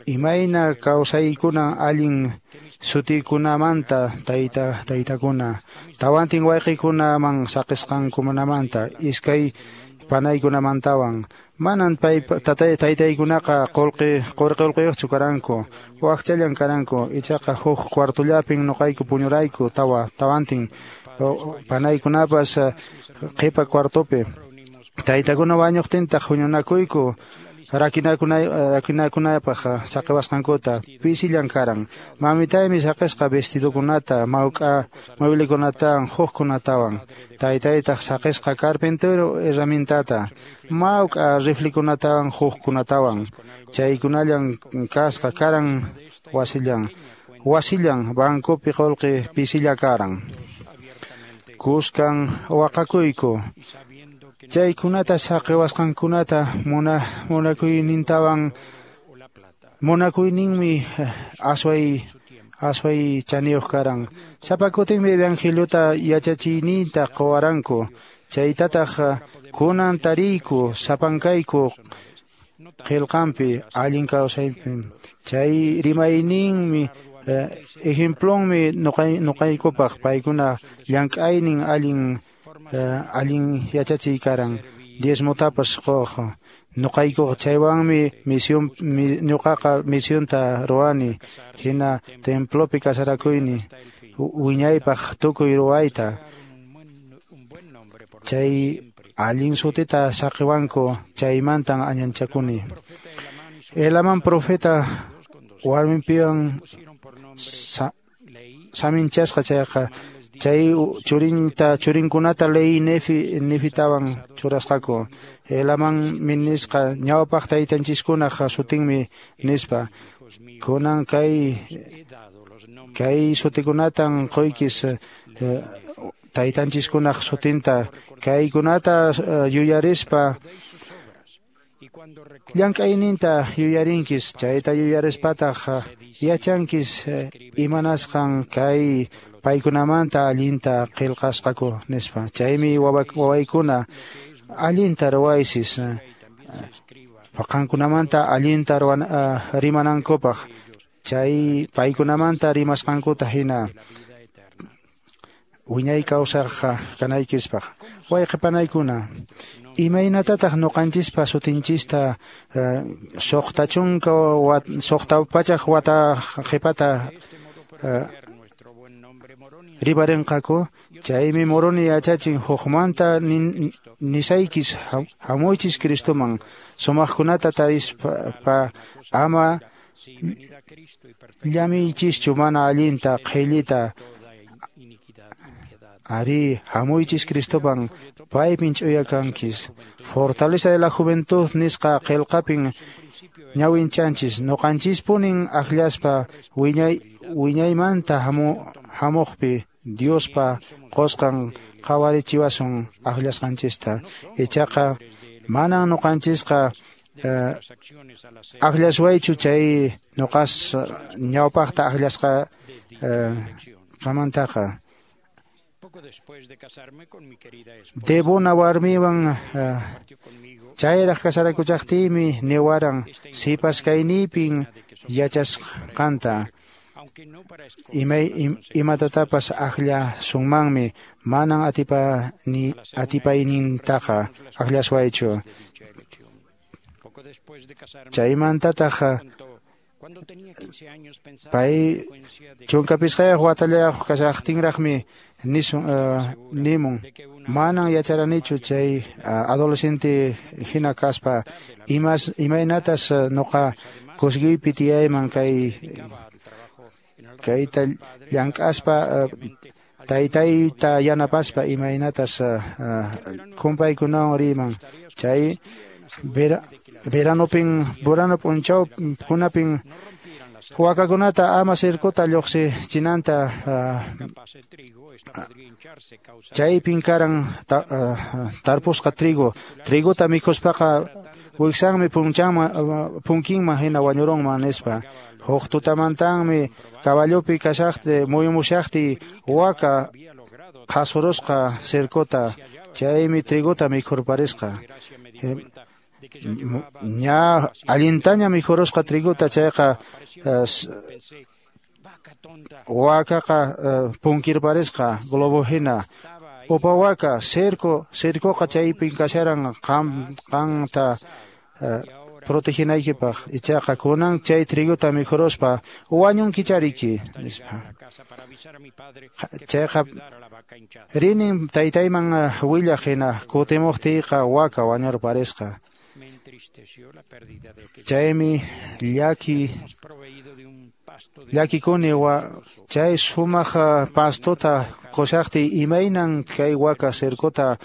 Speaker 9: imayna kawsaykuna allin sutikunamanta tayta taytakuna tawantin wayqikunaman saqisqankunamanta iskay panaykunamantawan. Manan pay tatay taytaykunaqa qullqi quri qullqiyuqchu karanku, wakchallan karanku. Ichaqa huk cuartollapin nuqayku puñurayku tawa tawantin panaykunapas qhipa cuartopi. Taytakuna wañuqtintaq huñunakuyku rakinakuna rakinakunapaq saqiwasqankuta pisillan karan. Mamitaymi saqisqa vestidokunata, mawk'a mueblekunatawan hukkunatawan. Taytaytaq saqisqa carpintero herramientata, mawk'a riflikunatawan hukkunatawan. Chaykunallan kasqa karan wasillan. Wasillan bancopi qullqi pisilla karan. Kuskan waqakuyku. Chaykunata saqiwasqankunata muna munakuynintawan munakuyninmi asway asway chaniyuq karan. Sapa kutinmi evangeliota yachachiyninta quwaranku. Chaytataq kunan tariyku sapankayku qillqanpi allin kawsaypi. Chay rimayninmi ejemplonmi nuqay nuqaykupaq paykuna llank'aynin allin allin yachachiy karan. Diezmotapas quq nuqaykuqa chaywanmi misión ñuqaqa misionta ruwani hina templopi kasarakuyni wiñaypaq tukuy ruwayta. Chay allin sutita saqiwanku chaymantan añanchakuni. Elaman profeta warminpiwan sa, saminchasqa chayqa chay churinta churinkunata ley nefi nefitawan churasqaku. Elaman minisqa ñawpaq taytanchiskunaq sutinmi nispa. Kunan kay kay sutikunatan quykis eh, taytanchiskunaq sutinta kaykunata eh, yuyarispa llank'ayninta yuyarinkis. Chayta yuyarispataq yachankis eh, imanasqan kay paykunamanta allinta qillqasqaku nispa. Chaymi wawaykuna allinta ruwaysis qankunamanta allinta rimanankupaq. Chay paykunamanta rimasqankuta hina wiñay kawsaq kanaykispaq. Wayqi panaykuna, imaynatataq nuqanchispa sutinchista suqta chunka suqta pachak wata qhipata rimarinqaku? Chaymi Moroni yachachin hukmanta nisaykis hamuychis Cristoman sumaqkunata tarispa ama llamiychischu mana allinta qhillita. Ari hamuychis Cristoman paypin ch'uya kankis. Fortaleza de la Juventud nisqa qillqapin ñawinchanchis nuqanchispunin akllaspa wiñay wiñaymanta hamu hamuqpi Diospa qusqan qhawarichiwasun akllasqanchista. Ichaqa manan nuqanchisqa eh, akllaswaychu chay nuqas ñawpaqta akllasqa eh, qamantaqa. Debona warmiwan uh, chayraq kasarakuchaqtiymi niwaran sipas kayniypin yachasqanta imay im, imatatapas akllasunmanmi manan atipa ni atipaynintaqa akllaswaychu. Chaymantataq pay chunka pisqayuq watallayuq kashaqtinraqmi nisun uh, nimun manan yacharanichu chay uh, adolescente hina kaspa imas imaynatas uh, nuqa kusikuypi tiyayman kay Kayta llank'aspa taytayta yanapaspa imaynatas kumpaykunawan riman. Chay vera, veranopin verano p'unchaw kunapin wakakunata ama cercota lluqsichinanta chaypin karan ta, tarpusqa trigo. Trigota mikhuspaqa wiksanmi punchanman punkinman hina wañurunman nispa. Huk tutamantanmi caballopi kashaqti muyumushaqti waka qhasurusqa cercota, chaymi trigota mikhurparisqa. Ña allintaña mikhurusqa trigota chayqa wakaqa punkirparisqa globo hina. Upa waka cerco cercoqa chaypin kasharan qam qanta proteginaykipaq, ichaqa kunan chay trigota mikhuruspa wañunkichariki nispa. Chayqa rinin taytayman willaq hina kutimuqtiyqa waka wañurparisqa. Chaymi llaki llakikuni wa chay sumaq pastota qushaqtiy imaynan kay waka cercota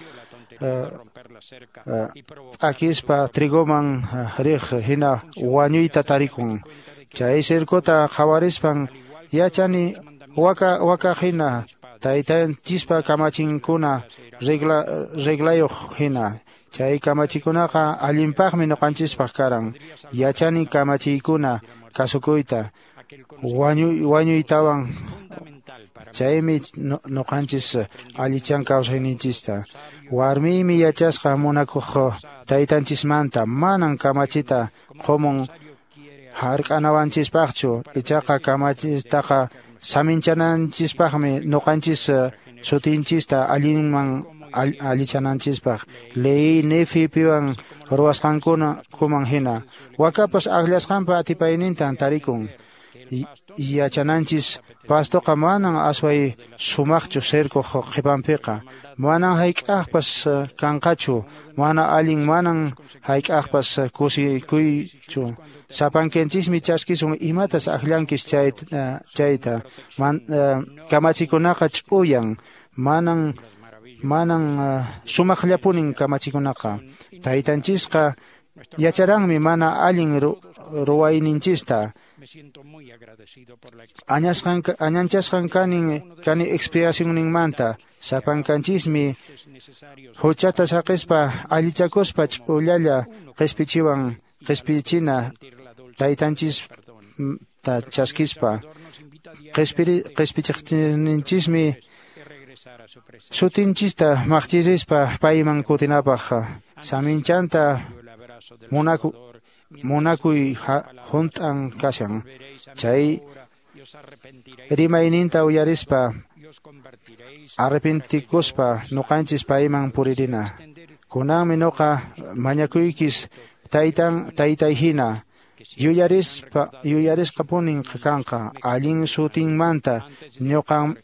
Speaker 9: p'akispa trigoman riq hina wañuyta tarikun. Chay cercota qhawarispan yachani waka waka hina taytanchispa kamachinkuna regla reglayuq hina. Chay kamachikunaqa allinpaqmi ñuqanchispaq karan. Yachani kamachiykuna kasukuyta wañuy wañuytawan. Chaymi ñuqanchis allichan kawsayninchista. Warmiymi yachasqa munakuq taytanchismanta manan kamachita qumun hark'anawanchispaqchu, ichaqa kamachistaqa saminchananchispaqmi ñuqanchis sutinchista allinman allichananchispaq. Lehi Nefi piwan ruwasqankuna kuman hina. Wakapas akllasqanpa atipaynintan tarikun. Yachananchis pastoqa manan asway sumaqchu cerco qhipanpiqa. Manan hayk'aqpas kanqachu, mana allin manan hayk'aqpas kusikuychu. Sapankanchismi chaskisun imatas akllankis chayta chayta. Man, kamachikunaqa ch'uyan, manan manan sumaqllapunin kamachikunaqa. Taytanchisqa yacharanmi mana allin ruwayninchista. Añasqan añanchasqan kanin kani expiacionninmanta. Sapankanchismi huchata saqispa allichakuspa ch'ullalla qispichiwan qispichina taytanchista chaskispa. Qispiri qispichiqninchismi sutinchista maqchirispa payman kutinapaq. Saminchanta munaku munakuy hunt'an kashan. Chay rimayninta uyarispa arrepentikuspa ñuqanchis payman puririna. Kunanmi ñuqa mañakuykis taytan taytay hina. Yuyarispa yuyarisqapunin kanqa allin sutinmanta ñuqan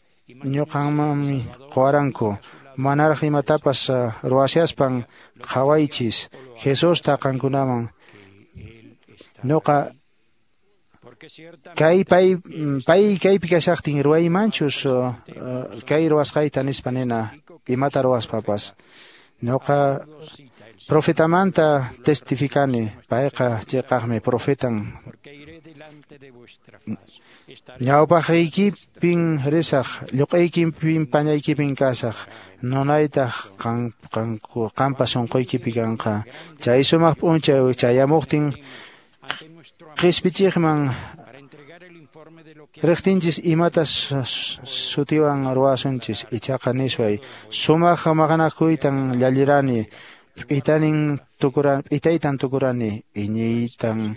Speaker 9: ñuqanmanmi quwaranku. Manaraq imatapas ruwashaspan qhawaychis Jesusta qankunaman. Ñuqa kay pay pay kaypi kashaqtin ruwaymanchus kay ruwasqayta nispa nina imata ruwaspapas. Ñuqa profetamanta testificani, payqa chiqaqmi profetan. Ñawpaqaykipin risaq, lluq'aykipin pañaykipin kasaq, nunaytaq qan qanku qampa sunquykipi kanqa. Chay sumaq p'unchay chayamuqtin qispichiqman riqtinchis imatas sutiwan ruwasunchis, ichaqa nisway sumaq maqanakuytan llallirani, p'itanin tukurani, p'itaytan tukurani, iñiytan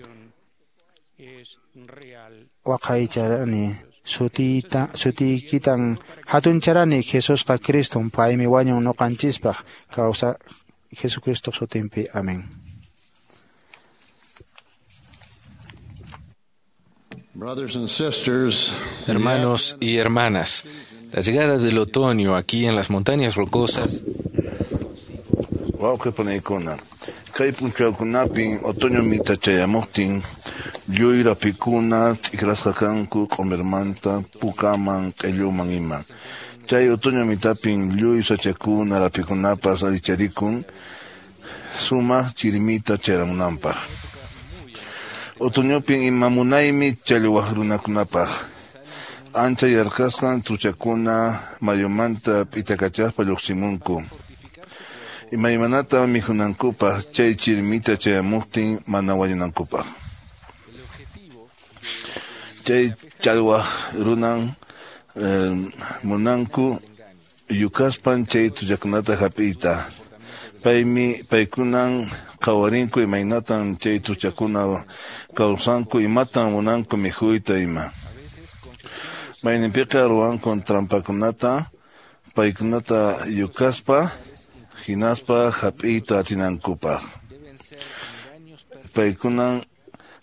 Speaker 9: waqaycharani, sutiyta sutiykitan hatuncharani. Jesusqa Criston, paymi wañun ñuqanchispaq kawsa Jesucristo sutinpi. Amén.
Speaker 4: Hermanos y hermanas, la llegada del otoño aquí en las montañas rocosas.
Speaker 3: Wawqi panaykuna, kay p'unchawkunapin otoño mita chayamuqtin, Lluy rapikuna t'ikrasqa kanku q'umirmanta pukaman q'illuman ima. Chay otoño mitapin lluy sachakuna rapikunapas allicharikun sumaq chirmita chayaramunanpaq. Otoñopin ima munaymi challwaq runakunapaq. Ancha yarqasqan truchakuna mayumanta p'itakachaspa lluqsimunku. Imaymanata mikhunankupaq chay chirmita chayamuqtin mana wañunankupaq. Chay challwaq runan eh, munanku yukaspan chay truchakunata hap'iyta. Paymi paykunan qhawarinku imaynatan chay truchakuna kawsanku imatan munanku mikhuyta ima. Mayninpiqa ruwanku trampakunata paykunata yukaspa hinaspa hap'iyta atinankupaq. Paykunan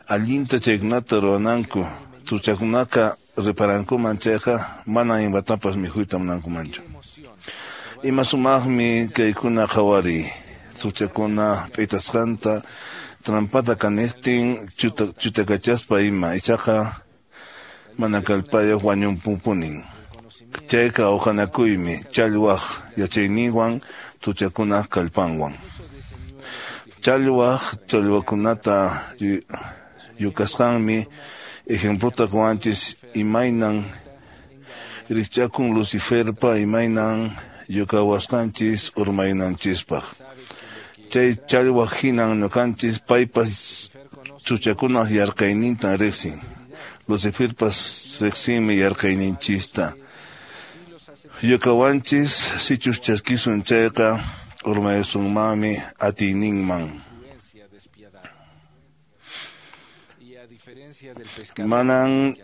Speaker 3: allinta chaykunata ruwananku truchakunaqa reparankuman chayqa mana imatapas mikhuyta munankumanchu. Ima sumaqmi kaykuna qhawariy truchakuna p'itasqanta trampata kaniqtin chutakachaspa ima ichaqa mana kallpayuq wañunpunin. Chayqa uqanakuymi challwaq yachayninwan truchakunaq kallpanwan. Challwaq challwakunata yukasqanmi ejemplota quwanchis imaynan rikchakun Luciferpa imaynan yukawasqanchis urmaynanchispaq. Chay challwaq hinan ñuqanchis paypas truchakunaq yarqaynintan riqsin. Luciferpas riqsinmi yarqayninchista. Yukawanchis sichus chaskisun chayqa urmaysunmanmi atiyninman. Manan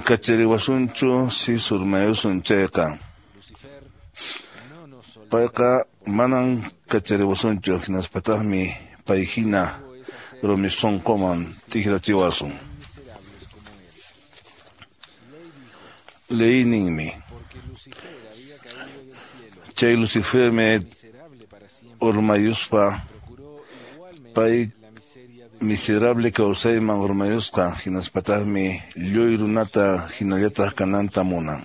Speaker 3: kachariwasunchu si urmayusun chayqa. Payqa manan kachariwasunchu hinaspataqmi payhina rumi sunquman tikrachiwasun. Leyninmi. Chay Lucifermi urmayuspa pay miserable kawsayman urmayusqa hinaspataqmi lluy runata hinallataq kananta munan.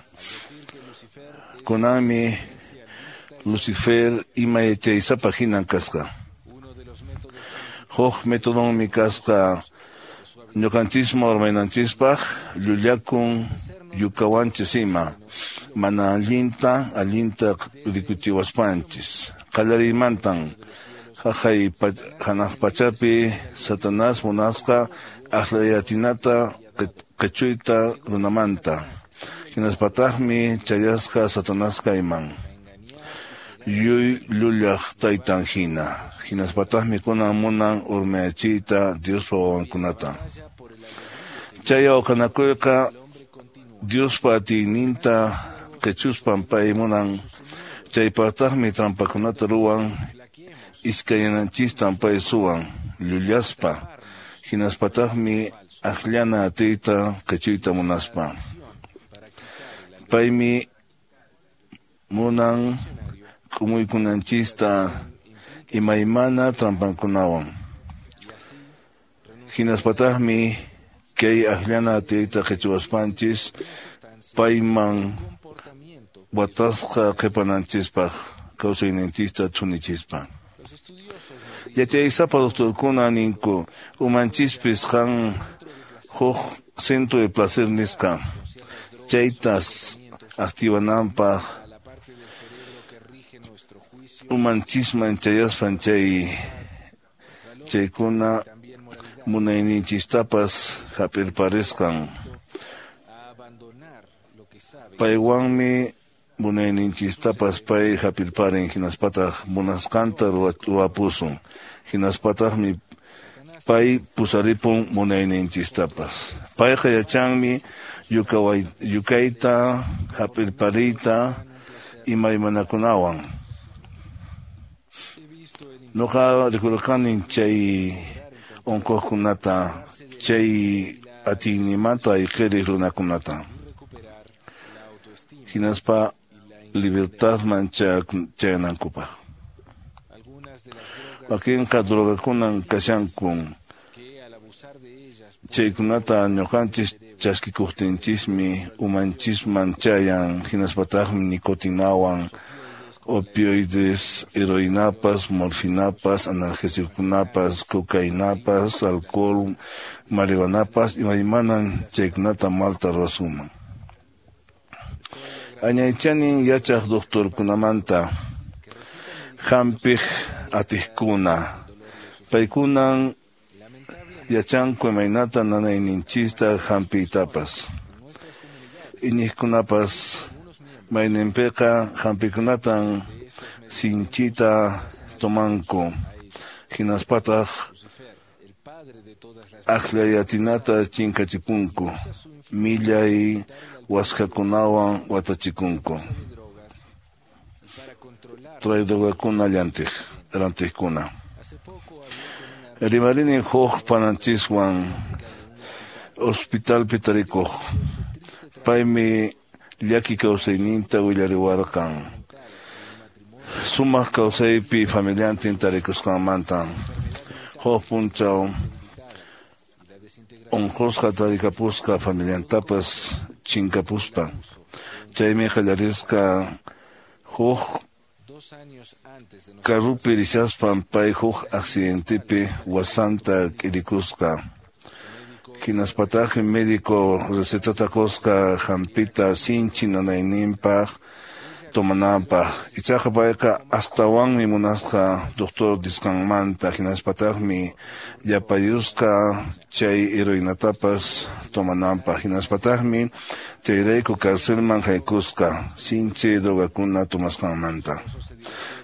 Speaker 3: Kunanmi Lucifer ima yachaysapa hinan kasqa. Huk metodonmi kasqa ñuqanchisman urmaynanchispaq llullakun yukawanchis ima mana allinta allinta rikuchiwaspanchis. Qallariymantan haqay hanaq pachapi Satanás munasqa aqllayatinata qichuyta runamanta. Hinaspataqmi chayasqa Satanás kayman lluy llullaq taytan hina. Hinaspataqmi kunan munan urmayachiyta Diospa wawankunata. Chay awqanakuyqa Diospa atiyninta qichuspan pay munan. Chaypaqtaqmi trampakunata ruwan iskayananchistan pay suwan llullaspa. Hinaspataqmi aqllana atiyta qichuyta munaspa. Paymi munan k'umuykunanchista imaymana trampankunawan. Hinaspataqmi kay aqllana atiyta qichuwaspanchis payman watasqa qhipananchispaq kawsayninchista thunichispa. Yachaysapa doctorkuna ninku umanchispis kan huk centro de placer nisqa chaytas activananpaq umanchisman chayaspan chay chaykuna munayninchistapas hap'irparisqan. Paywanmi munayninchistapas pay hap'irparin hinaspataq munasqanta ruwapusun. Hinaspataqmi pay pusaripun munayninchistapas. Payqa yachanmi yukayta hap'irpariyta imaymanakunawan. Nuqa rikurqani chay unquqkunata chay atiynimanta ayqiriq runakunata. Hinaspa libertadman chayanankupaq. Wakinqa drogakunan kashankun. Chaykunata ñuqanchis chaskikuqtinchismi umanchisman chayan, hinaspataqmi nikotinawan, opioides, heroinapas, morfinapas, analgésickunapas, cocainapas, alcohol, marihuanapas, imaymanan chaykunata malta ruwasunman. Añaychanin yachaq doctorkunamanta, hampiq atiqkuna, paykunan yachanku imaynata nanayninchista hampiytapas. Iñiqkunapas mayninpiqa hampikunatan sinchita tomanku, hinaspataq akllayatinata chinkachipunku, millay waskakunawan watachikunku. Traidorkuna llantiq, rantiqkuna. Rimarini huk pananchiswan hospitalpi tarikuq. Paymi llaki kawsayninta willariwarqan. Sumaq kawsaypi familiantin tarikusqanmanta. Huk p'unchaw unqusqa tarikapusqa familiantapas chinkapuspa. Chaymi qallarisqa huk carrupi rishaspan pay huk accidentepi wasanta k'irikusqa. Hinaspataqmi médico recetata qusqa hampita sinchi nanayninpaq tomananpaq. Ichaqa payqa astawanmi munasqa doctor nisqanmanta, hinaspataqmi yapayusqa chay heroinatapas tomananpaq. Hinaspataqmi chayrayku carcelman haykusqa sinchi drogakuna tomasqanmanta.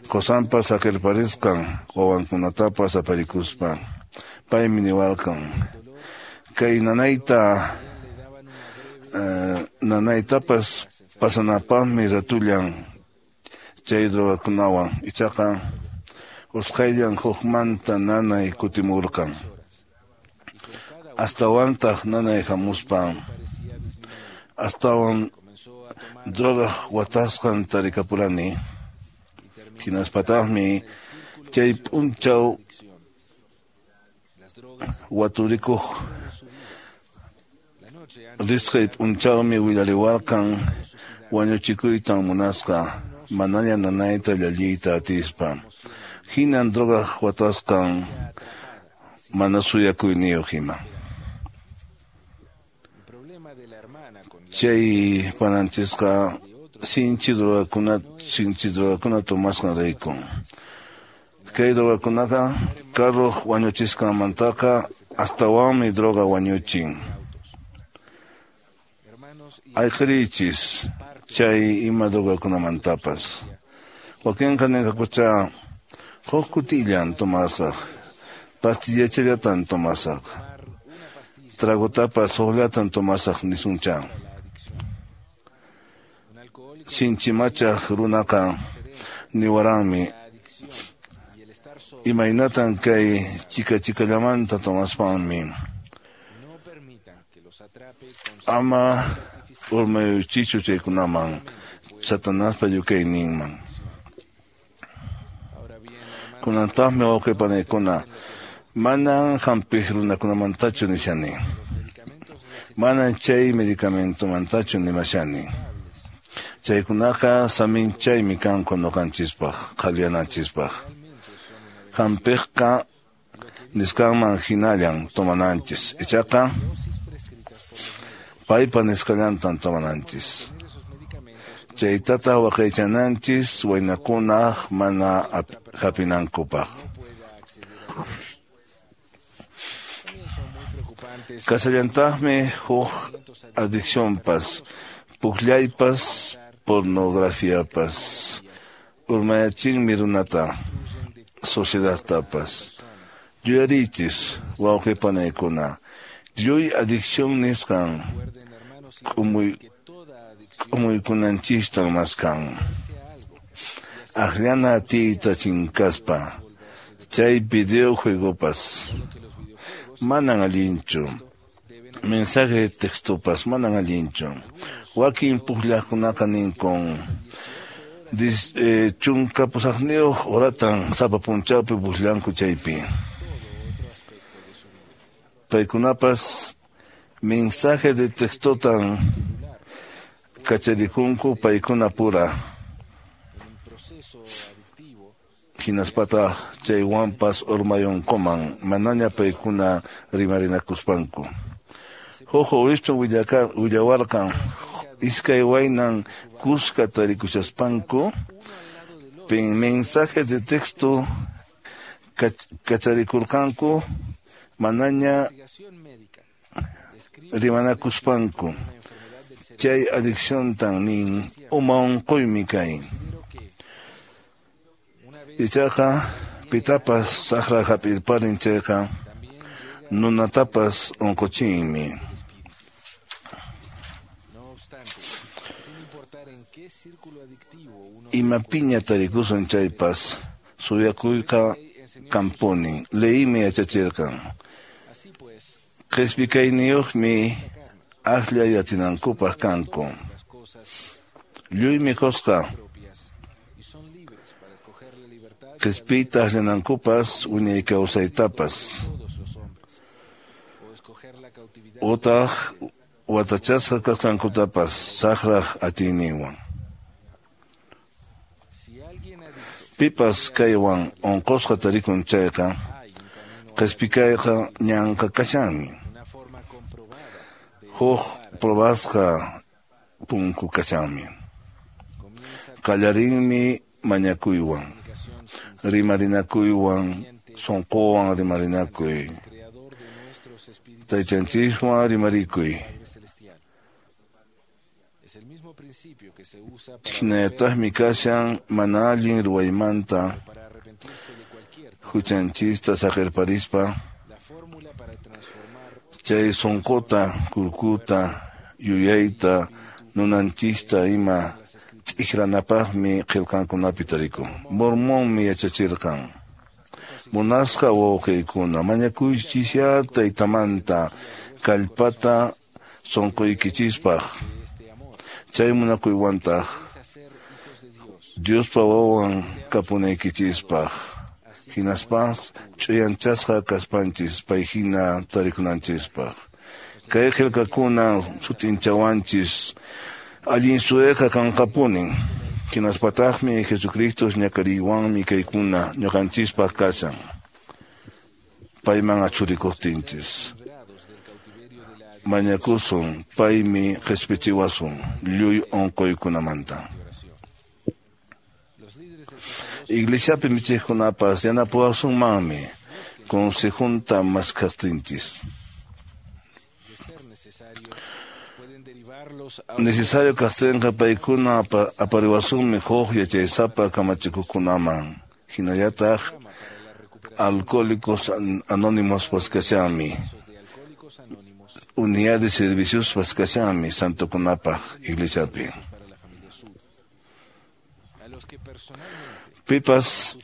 Speaker 3: Qosanpas saqirparisqan wawankunatapas aparikuspa. Paymi niwarqan kay nanayta uh, nanaytapas pasanapaqmi ratullan chay drogakunawan. Ichaqa usqhayllan hukmanta nanay kutimurqan. Astawantaq nanay hamuspa astawan drogaq watasqan tarikapurani. Hinaspataqmi chay p'unchaw waturikuq risqay p'unchawmi willariwarqan wañuchikuytan munasqa manaña nanayta llalliyta atispa. Hinan drogaq watasqan mana suyakuyniyuq ima. Chay pananchisqa sinchi drogakuna sinchi drogakuna tomasqanrayku. Kay drogakunaqa carruq wañuchisqanmantaqa astawanmi droga wañuchin. Ayqiriychis chay ima drogakunamantapas. Wakinqa ninqakucha huk kutillan tomasaq, pastillachallatan tomasaq, tragotapas hukllatan tomasaq nisuncha. Sinchimachaq runaqa niwaranmi imaynatan kay chika chikallamanta tomaspanmi. Ama urmayuchichu chaykunaman, Satanaspa yukayninman. Kunantaqmi wawqi panaykuna, manan hampiq runakunamantachu nishani. Manan chay medicamentomantachu nimashani. Chaykunaqa saminchaymi kanku ñuqanchispaq, qhaliyanachispaq. Hampiqqa nisqanman hinallan tomananchis. Ichaqa paypa nisqallantan tomananchis. Chaytataq waqaychananchis waynakunaq mana hapinankupaq. Kasallantaqmi huk adiccionpas, pukllaypas, pornografiapas. Urmayachinmi runata, sociedadtapas. Yuyarichis, wawqi panaykuna, lluy adicción nisqan k'umuy k'umuykunanchistan maskan. Akllana atiyta chinkaspa, chay videojuegopas manan allinchu, mensaje de textopas manan allinchu. Wakin pukllaqkunaqa ninkun dis, eh, chunka pusaqniyuq horatan sapa p'unchawpi pukllanku chaypi. Paykunapas Mensaje de textotan kacharikunku paykuna pura. Hinaspata chaywanpas urmayunkuman manaña paykuna rimarinakuspanku. Huk obispom willawarqan iskay waynan kuska tarikushaspanku mensajes de texto kacharikurqanku manaña rimanakuspanku. Chay adicciontan nin uma unquymi kay. Ichaqa pitapas saqra hap'irparin chayqa nunatapas unquchinmi. Imapiña tarikusun chaypas suyakuyqa kampunin. Leymi yachachirqan. Qhispikayniyuqmi akllay atinankupaq kanku. Lluymi qusqa qhispiyta akllanankupas wiñay kawsaytapas. Utaq watachasqa kasqankutapas saqraq atiyninwan. Pipas kaywan unqusqa tarikun chayqa qhispikayqa ñanqa kashanmi. Huk probasqa punku kashanmi. Qallarinmi mañakuywan, rimarinakuywan, sunquwan rimarinakuy. Taytanchiswan rimarikuy. Hinallataqmi kashan mana allin ruwaymanta huchanchista saqirparispa chay sunquta, kurkuta, yuyayta, nunanchista ima t'ikranapaqmi qillqankunapi tarikun. Mormonmi yachachirqan. Munasqa wawqiykuna, mañakuychisyá taytamanta kallpata sunquykichispaq. Chay munakuywantaq Diospa wawan kapunaykichispaq. Hinaspas ch'uyanchasqa kaspanchis payhina tarikunanchispaq. Kay qillqakuna sut'inchawanchis allin suyayqa kanqapunin. Hinaspataqmi Jesucristo ñak'ariywanmi kaykuna ñuqanchispaq kashan. Payman achurikuqtinchis. Mañakusun paymi qhispichiwasun lluy unquykunamanta. Iglesiapi michiqkunapas yanapawasunmanmi consejunta maskhaqtinchis. Necesario kaqtinqa paykuna apariwasunmi huk yachaysapa kamachikuqkunaman. Hinallataq Alcohólicos Anónimos kashanmi. Unidad de servicios kashanmi santokunapaq iglesiapi. Pipas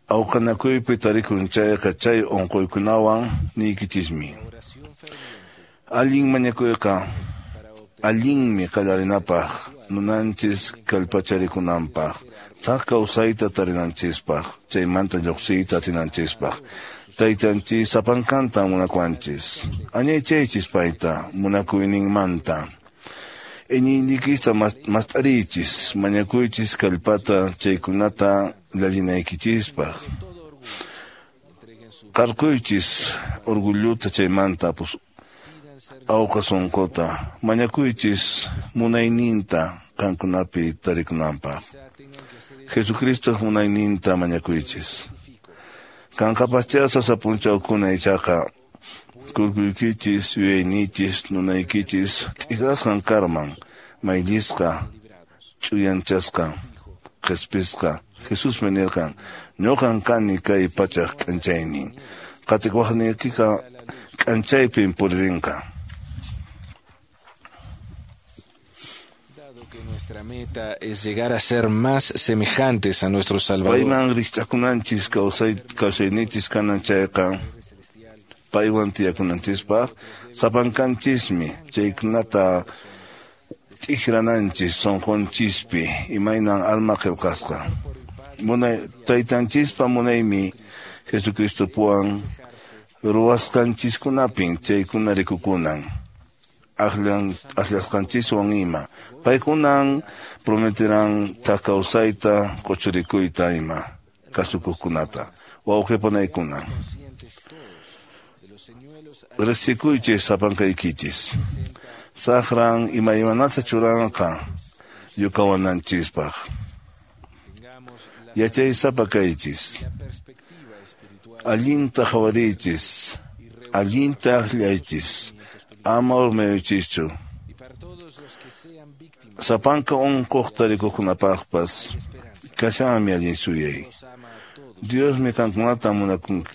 Speaker 3: awqanakuypi tarikun chayqa chay unquykunawan niykichismi. Allin mañakuyqa allinmi qallarinapaq nunanchis kallpacharikunanpaq, thak kawsayta tarinanchispaq, chaymanta lluqsiyta atinanchispaq. Taytanchis sapankanta munakuanchis. Añaychaychis payta munakuyninmanta. Iñiyniykista mast'ariychis, mañakuychis kallpata chaykunata llallinaykichispaq. Qarquychis orgulluta chaymanta awqa sunquta, mañakuychis munayninta qankunapi tarikunanpaq. Jesucristo munayninta mañakuychis. Kanqapaschá sasa p'unchawkuna ichaqa kurkuykichis, yuyaynichis, nunaykichis t'ikrasqan karman, mayllisqa, ch'uyanchasqa, qhispisqa. Jesusmi nirqan, ñuqan kani kay pachaq k'anchaynin. Qatikuwaqniykiqa k'anchaypin puririnqa.
Speaker 4: Nuestra meta es llegar a ser más semejantes a nuestro Salvador.
Speaker 3: Payman rikch'akunanchis kawsay kawsayninchis kanan chayqa paywan tiyakunanchispaq sapankanchismi chaykunata t'ikrananchis sunqunchispi imaynan alma qillqasqa. Munay taytanchispa munaymi Jesucristopuwan ruwasqanchiskunapin chaykuna rikukunan. Aklan akllasqanchiswan ima. Paykunan prometerán thak kawsayta quchurikuyta ima kasukuqkunata. Wawqipanaykuna. Riqsikuychis sapankaykichis. Saqran imaymanata churanqa yukawananchispaq. Yachaysapa kaychis. Allinta qhawariychis. Allinta akllaychis. Ama urmayuchischu. Sapanka unquq tarikuqkunapaqpas kashanmi allin suyay. Diosmi qankunata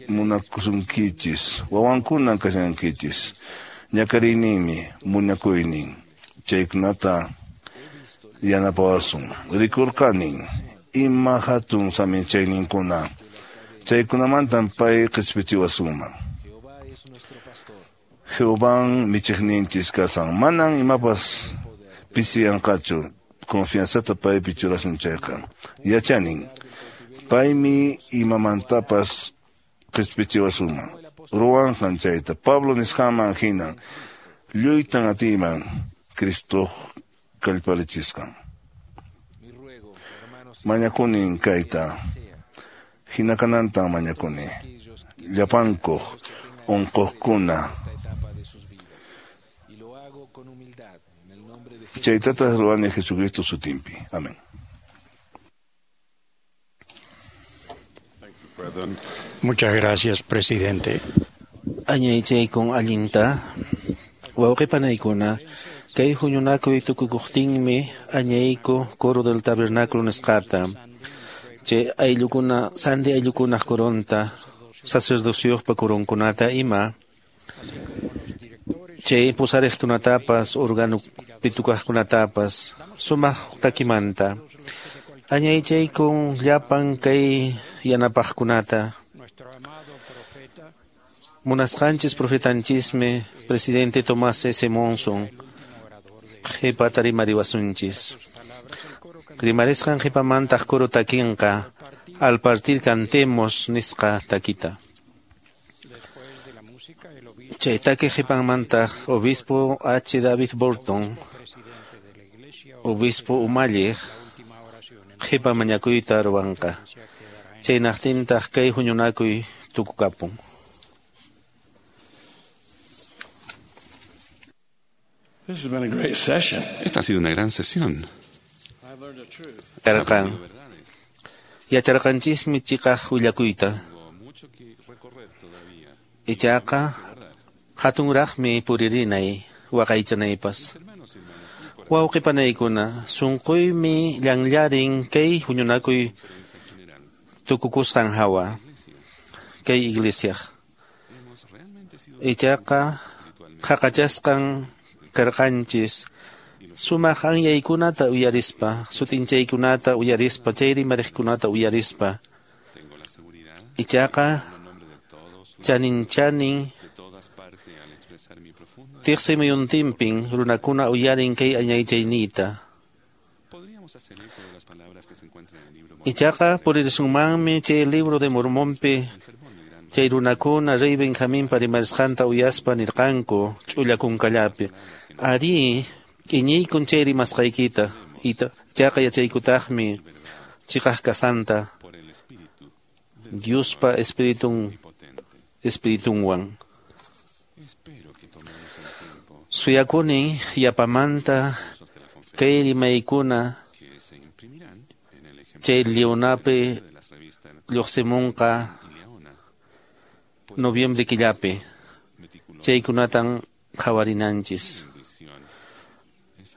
Speaker 3: munakusunkichis, wawankunan kashankichis. Ñakariyninmi munakuynin chaykunata yanapawasun. Rikurqanin ima hatun saminchayninkuna chaykunamantan pay qispichiwasunman. Jehován michiqninchis kasan manan imapas pisiyanqachu confianzata paypi churasun chayqa. Yachanin paymi imamantapas qispichiwasunman. Ruwanqan chayta Pablo nisqanman hinan lluytan atiyman Cristoq kallparichisqan. Mañakunin kayta hina kanantan mañakuni llapankuq unquqkuna chaytataq ruwani Jesucristo sutinpi. Amén.
Speaker 1: Muchas gracias, presidente.
Speaker 6: Añaychaykun allinta wawqipanaykuna kay huñunakuy tukukuqtinmi añayku coro del tabernáculo nisqata chay ayllukuna santi ayllukunaq coronta sacerdocioqpa coronkunata ima chay pusariqkunatapas órgano pitukaqkunatapas sumaq takimanta añaychaykun llapan kay yanapaqkunata. Munasqanchis profetanchismi presidente Tomás S. Monson qhipata rimariwasunchis. Rimarisqan qhipamantaq coro takinqa al partir cantemos nisqa takita. Chay taki qhipanmantaq obispo H. David Burton obispo umalliq qhipa mañakuyta ruwanqa. Chaynaqtintaq kay huñunakuy tukukapun.
Speaker 15: This has been a great session.
Speaker 2: Esta ha sido una gran sesión.
Speaker 6: Karqan. Yacharqanchismi chiqaq willakuyta. Ichaqa hatunraqmi puririnay waqaychanaypas. Wawqipanaykuna sunquymi llanllarin kay huñunakuy tukukusqan hawa kay iglesiaq. Ichaqa qhaqachasqan karqanchis sumaq anyaykunata uyarispa, sutinchaykunata uyarispa, chay rimariqkunata uyarispa. Ichaqa chanin chanin tiqsi muyuntinpin runakuna uyarin kay añaychayniyta. Ichaqa puririsunmanmi chay libro de Mormonpi chay runakuna rey Benjaminpa rimarisqanta uyaspa nirqanku ch'ulla kunkallapi. Ari iñiykun chay rimasqaykita ichaqa yachaykutaqmi chiqaq kasanta Diospa espiritun espiritunwan. Suyakunin yapamanta kay rimaykuna chay Leonapi lluqsimunqa noviembre killapi chaykunatan qhawarinanchis.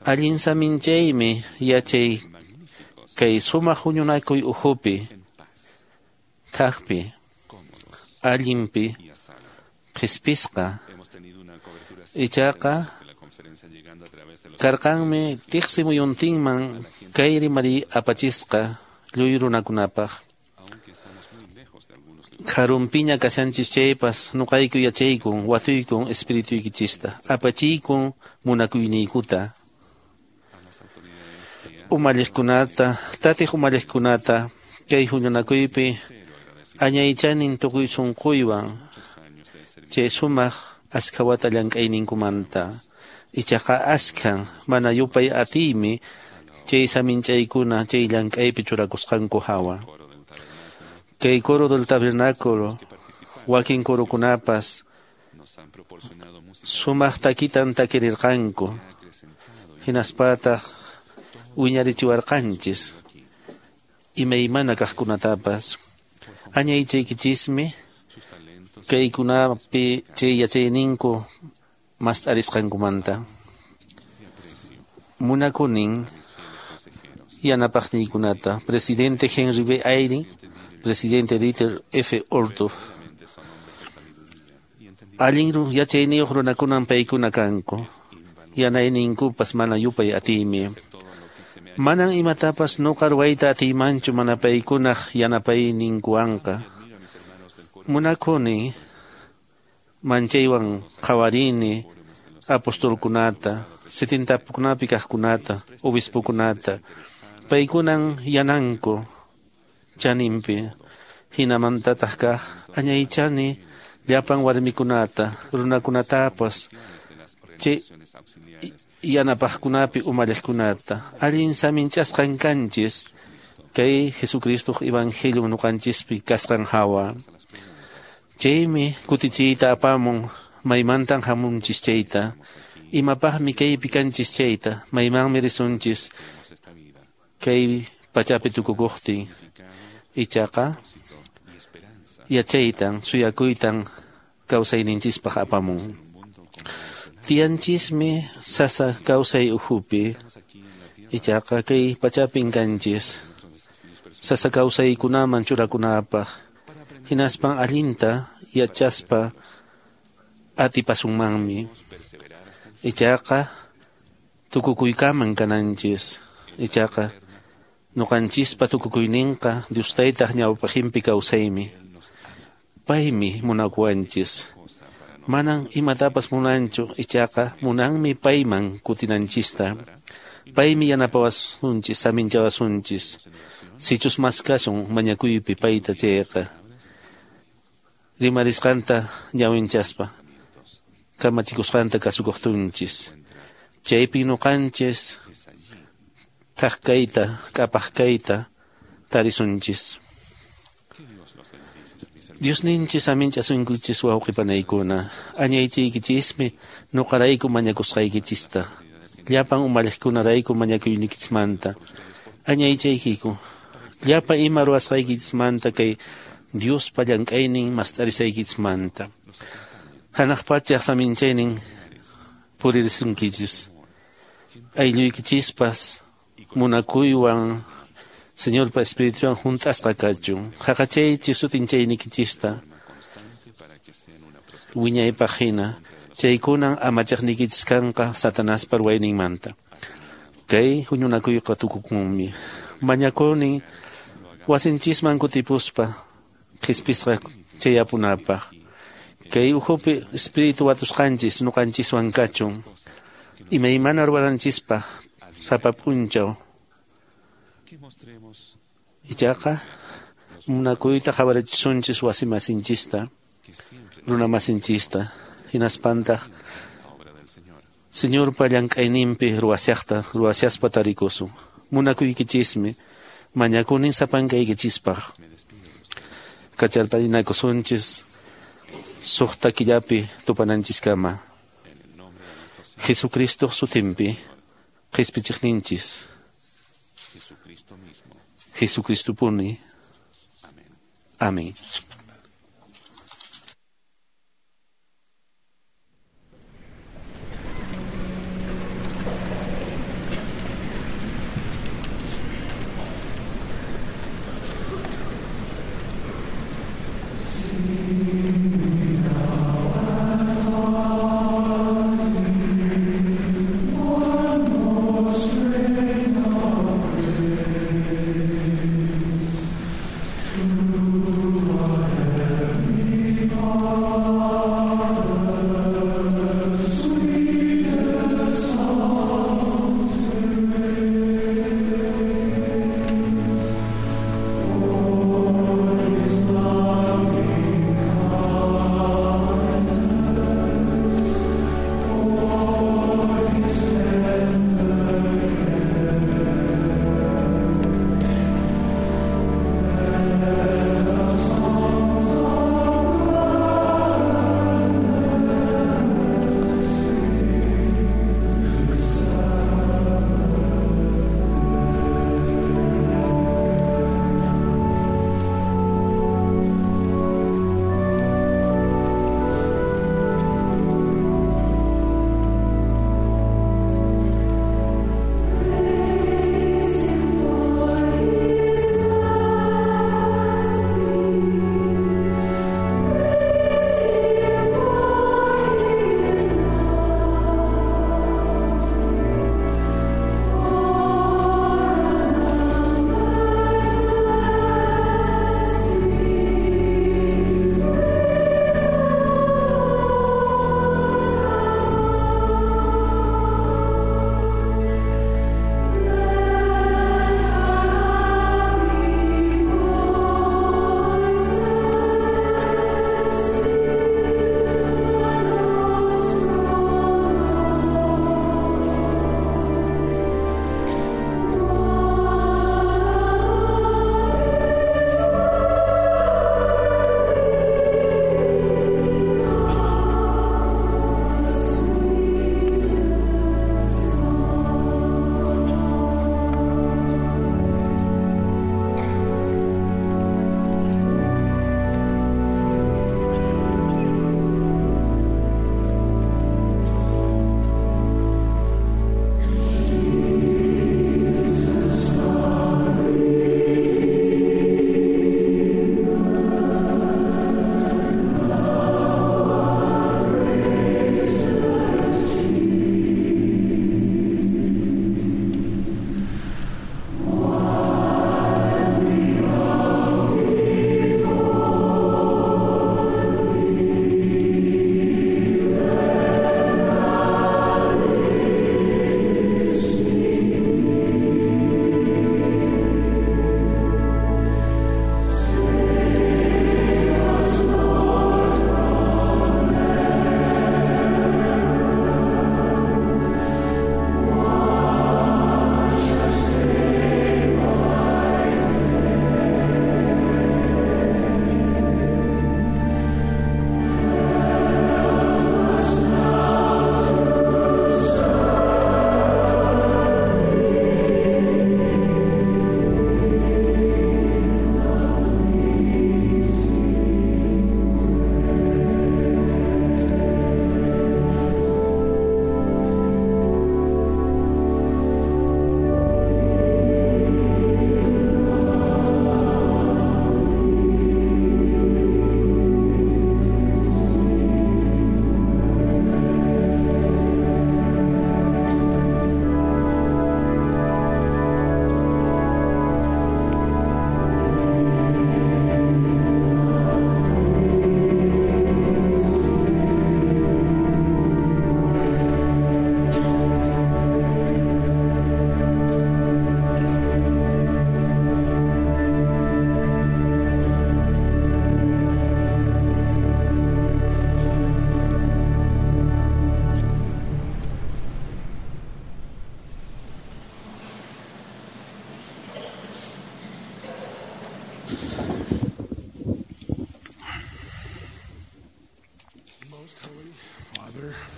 Speaker 6: Allin saminchaymi yachay kay sumaq huñunakuy ukhupi thakpi allinpi qhispisqa. Ichaqa karqanmi tiqsi muyuntinman kay rimari apachisqa lluy runakunapaq. Karunpiña kashanchis chaypas nuqayku yachaykun watuykun espirituykichista apachiykun munakuyniykuta. Umalliqkunata tatiq umalliqkunata kay huñunakuypi añaychanin tukuy sunquywan chay sumaq ashkhawata llank'ayninkumanta. Ichaqa askhan mana yupay atiymi chay saminchaykuna chay llank'aypi churakusqanku hawa. Kay coro del tabernáculo, wakin corokunapas sumaq takitan takirirqanku, hinaspataq wiñarichiwarqanchis imaymana kaqkunatapas. Añaychaykichismi kaykunapi chay yachayninku mast'arisqankumanta. Munakunin yanapaqniykunata, presidente Henry B. Eyring, presidente Dieter F. Uchtdorf. Allin yachayniyuq runakunan paykuna kanku, yanayninkupas mana yupay atiymi. Manan imatapas nuqa ruwayta atiymanchu mana paykunaq yanapayninkuwanqa. Munakuni manchaywan qhawarini apostolkunata, setentakunapi kaqkunata, obispokunata. Paykunan yananku chaninpi, hinamantataq kaq añaychani llapan warmikunata, runakunatapas, chay yanapaqkunapi umalliqkunata. Allin saminchasqan kanchis kay Jesucristoq evangelion nuqanchispi kasqan hawa. Chaymi kutichiyta apamun maymantan hamunchis chayta, imapaqmi kaypi kanchis chayta, maymanmi risunchis kay pachapi tukukuqtin. Ichaqa yachaytan suyakuytan kawsayninchispaq apamun. Tiyanchismi sasa kawsay ukhupi, ichaqa kay pachapin kanchis sasa kawsaykunaman churakunapaq, hinaspan allinta yachaspa atipasunmanmi. Ichaqa tukukuykaman kananchis, ichaqa nuqanchispa tukukuyninqa Dios taytaq ñawpaqinpi kawsaymi. Paymi munakuwanchis. Manan imatapas munanchu, ichaqa munanmi payman kutinanchista. Paymi yanapawasunchis, saminchawasunchis. Sichus maskasun mañakuypi payta chayqa, rimarisqanta ñawinchaspa, kamachikusqanta kasukuqtunchis. Chaypi nuqanchis thak kayta, q'apaq kayta tarisunchis. Diosninchis aminchasunkichis wawqipanaykuna, añaychaykichismi nuqarayku mañakusqaykichista, llapan umalliqkunarayku mañakuynikichismanta. Añaychaykiku, llapa ima ruwasqaykichismanta kay Diospa llank'aynin mast'arisaykichismanta. Hanaq pachaq saminchaynin puririsunkichis. Aylluykichispas munakuywan Señorpa Espirituwan hunt'asqa kachun. Haqachaychis sutinchaynikichista wiñaypaq hina. Chaykunan amachaqniykichis kanqa Satanaspa ruwayninmanta. Kay huñunakuyqa tukukunmi. Mañakuni wasinchisman kutipuspa qhispisqa chayapunapaq. Kay ukhupi Espíritu watusqanchis nuqanchiswan kachun. Imaymana ruwananchispaq sapa p'unchaw. Ichaqa munakuyta qhawarichisunchis wasimasinchista, runamasinchista, hinaspantaq Señorpa llank'ayninpi ruwasiaqta ruwasiaspa tarikusun. Munakuykichismi, mañakunin sapankaykichispaq. Kacharparinakusunchis suqta killapi tupananchiskama. Jesucristoq sutinpi qhispichiqninchis. Jesucristopuni. Amén.
Speaker 8: One more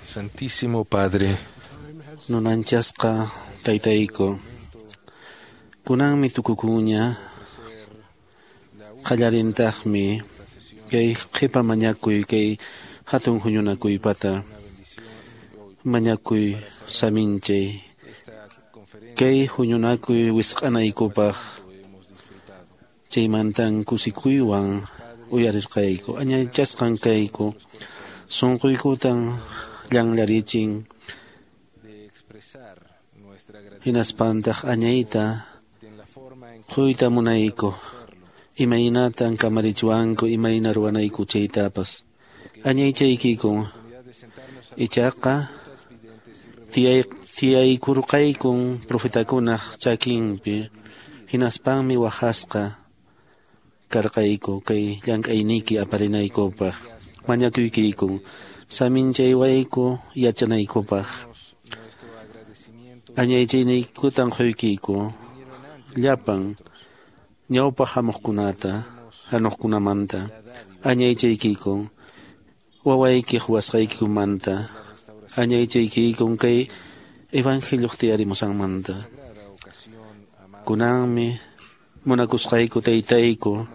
Speaker 4: Santísimo Padre,
Speaker 6: Nunanchasqa taytayku, kunanmi tukukuña, qallarintaqmi kay qhipa mañakuy kay hatun huñunakuypata mañakuy saminchay kay huñunakuy wisq'anaykupaq chaymantan kusikuywan uyarirqayku añaychasqan kayku sunquykutan llanllarichin hinaspantaq añayta quyta munayku imaynatan kamarichiwanku imayna ruwanayku chaytapas añaychaykikun ichaqa tiyaykurqaykun profetakunaq chakinpi hinaspanmi waqasqa karqayku kay llank'ayniyki aparinaykupaq mañakuykikun saminchaywayku yachanaykupaq añaychayniykutan quykiku llapan ñawpaq hamuqkunata hamuqkunamanta añaychaykikun wawaykiq wasqaykikumanta añaychaykikun kay evangelioq tiyarimusqanmanta kunanmi munakusqayku taytayku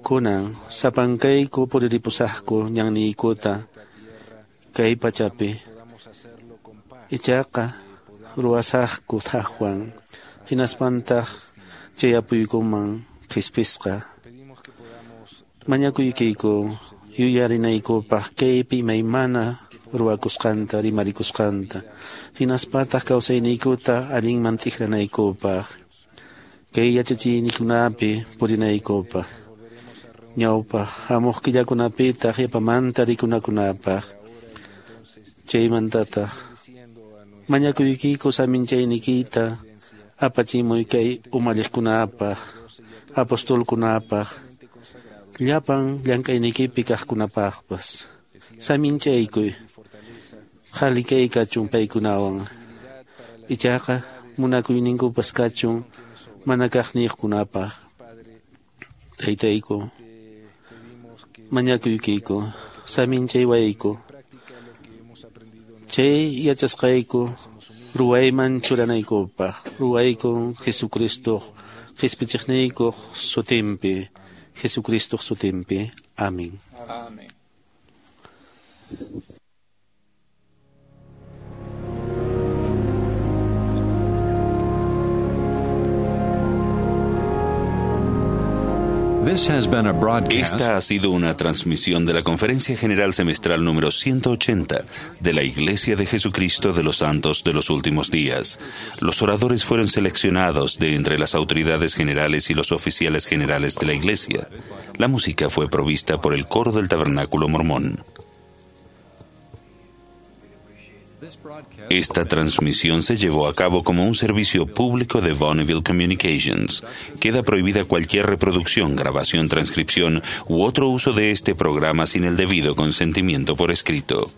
Speaker 6: kunan sapankayku puriripusaqku ñanniykuta kay pachapi ichaqa ruwasaqku thaqwan hinaspantaq chayapuykuman qhispisqa mañakuykiku yuyarinaykupaq kaypi imaymana ruwakusqanta rimarikusqanta hinaspataq kawsayniykuta allinman t'ikranaykupaq kay yachachiynikunapi purinaykupaq ñawpaq hamuq killakunapitaq yapamanta rikunakunapaq chaymantataq mañakuykiku saminchayniykita apachimuy kay umalliqkunapaq apostolkunapaq llapan llank'ayniykipi kaqkunapaqpas saminchaykuy qhali kay kachun paykunawan ichaqa munakuyninkupas kachun mana kaqniyuqkunapaq taytayku mañakuykiku saminchaywayku chay yachasqayku ruwayman churanaykupaq ruwaykun Jesucristoq qhispichiqniykuq sutinpi Jesucristoq sutinpi Amén.
Speaker 14: Amén.
Speaker 13: This has been a broadcast.
Speaker 2: Esta ha sido una transmisión de la Conferencia General Semestral número ciento ochenta de la Iglesia de Jesucristo de los Santos de los Últimos Días. Los oradores fueron seleccionados de entre las autoridades generales y los oficiales generales de la Iglesia. La música fue provista por el coro del Tabernáculo Mormón. Esta transmisión se llevó a cabo como un servicio público de Bonneville Communications. Queda prohibida cualquier reproducción, grabación, transcripción u otro uso de este programa sin el debido consentimiento por escrito.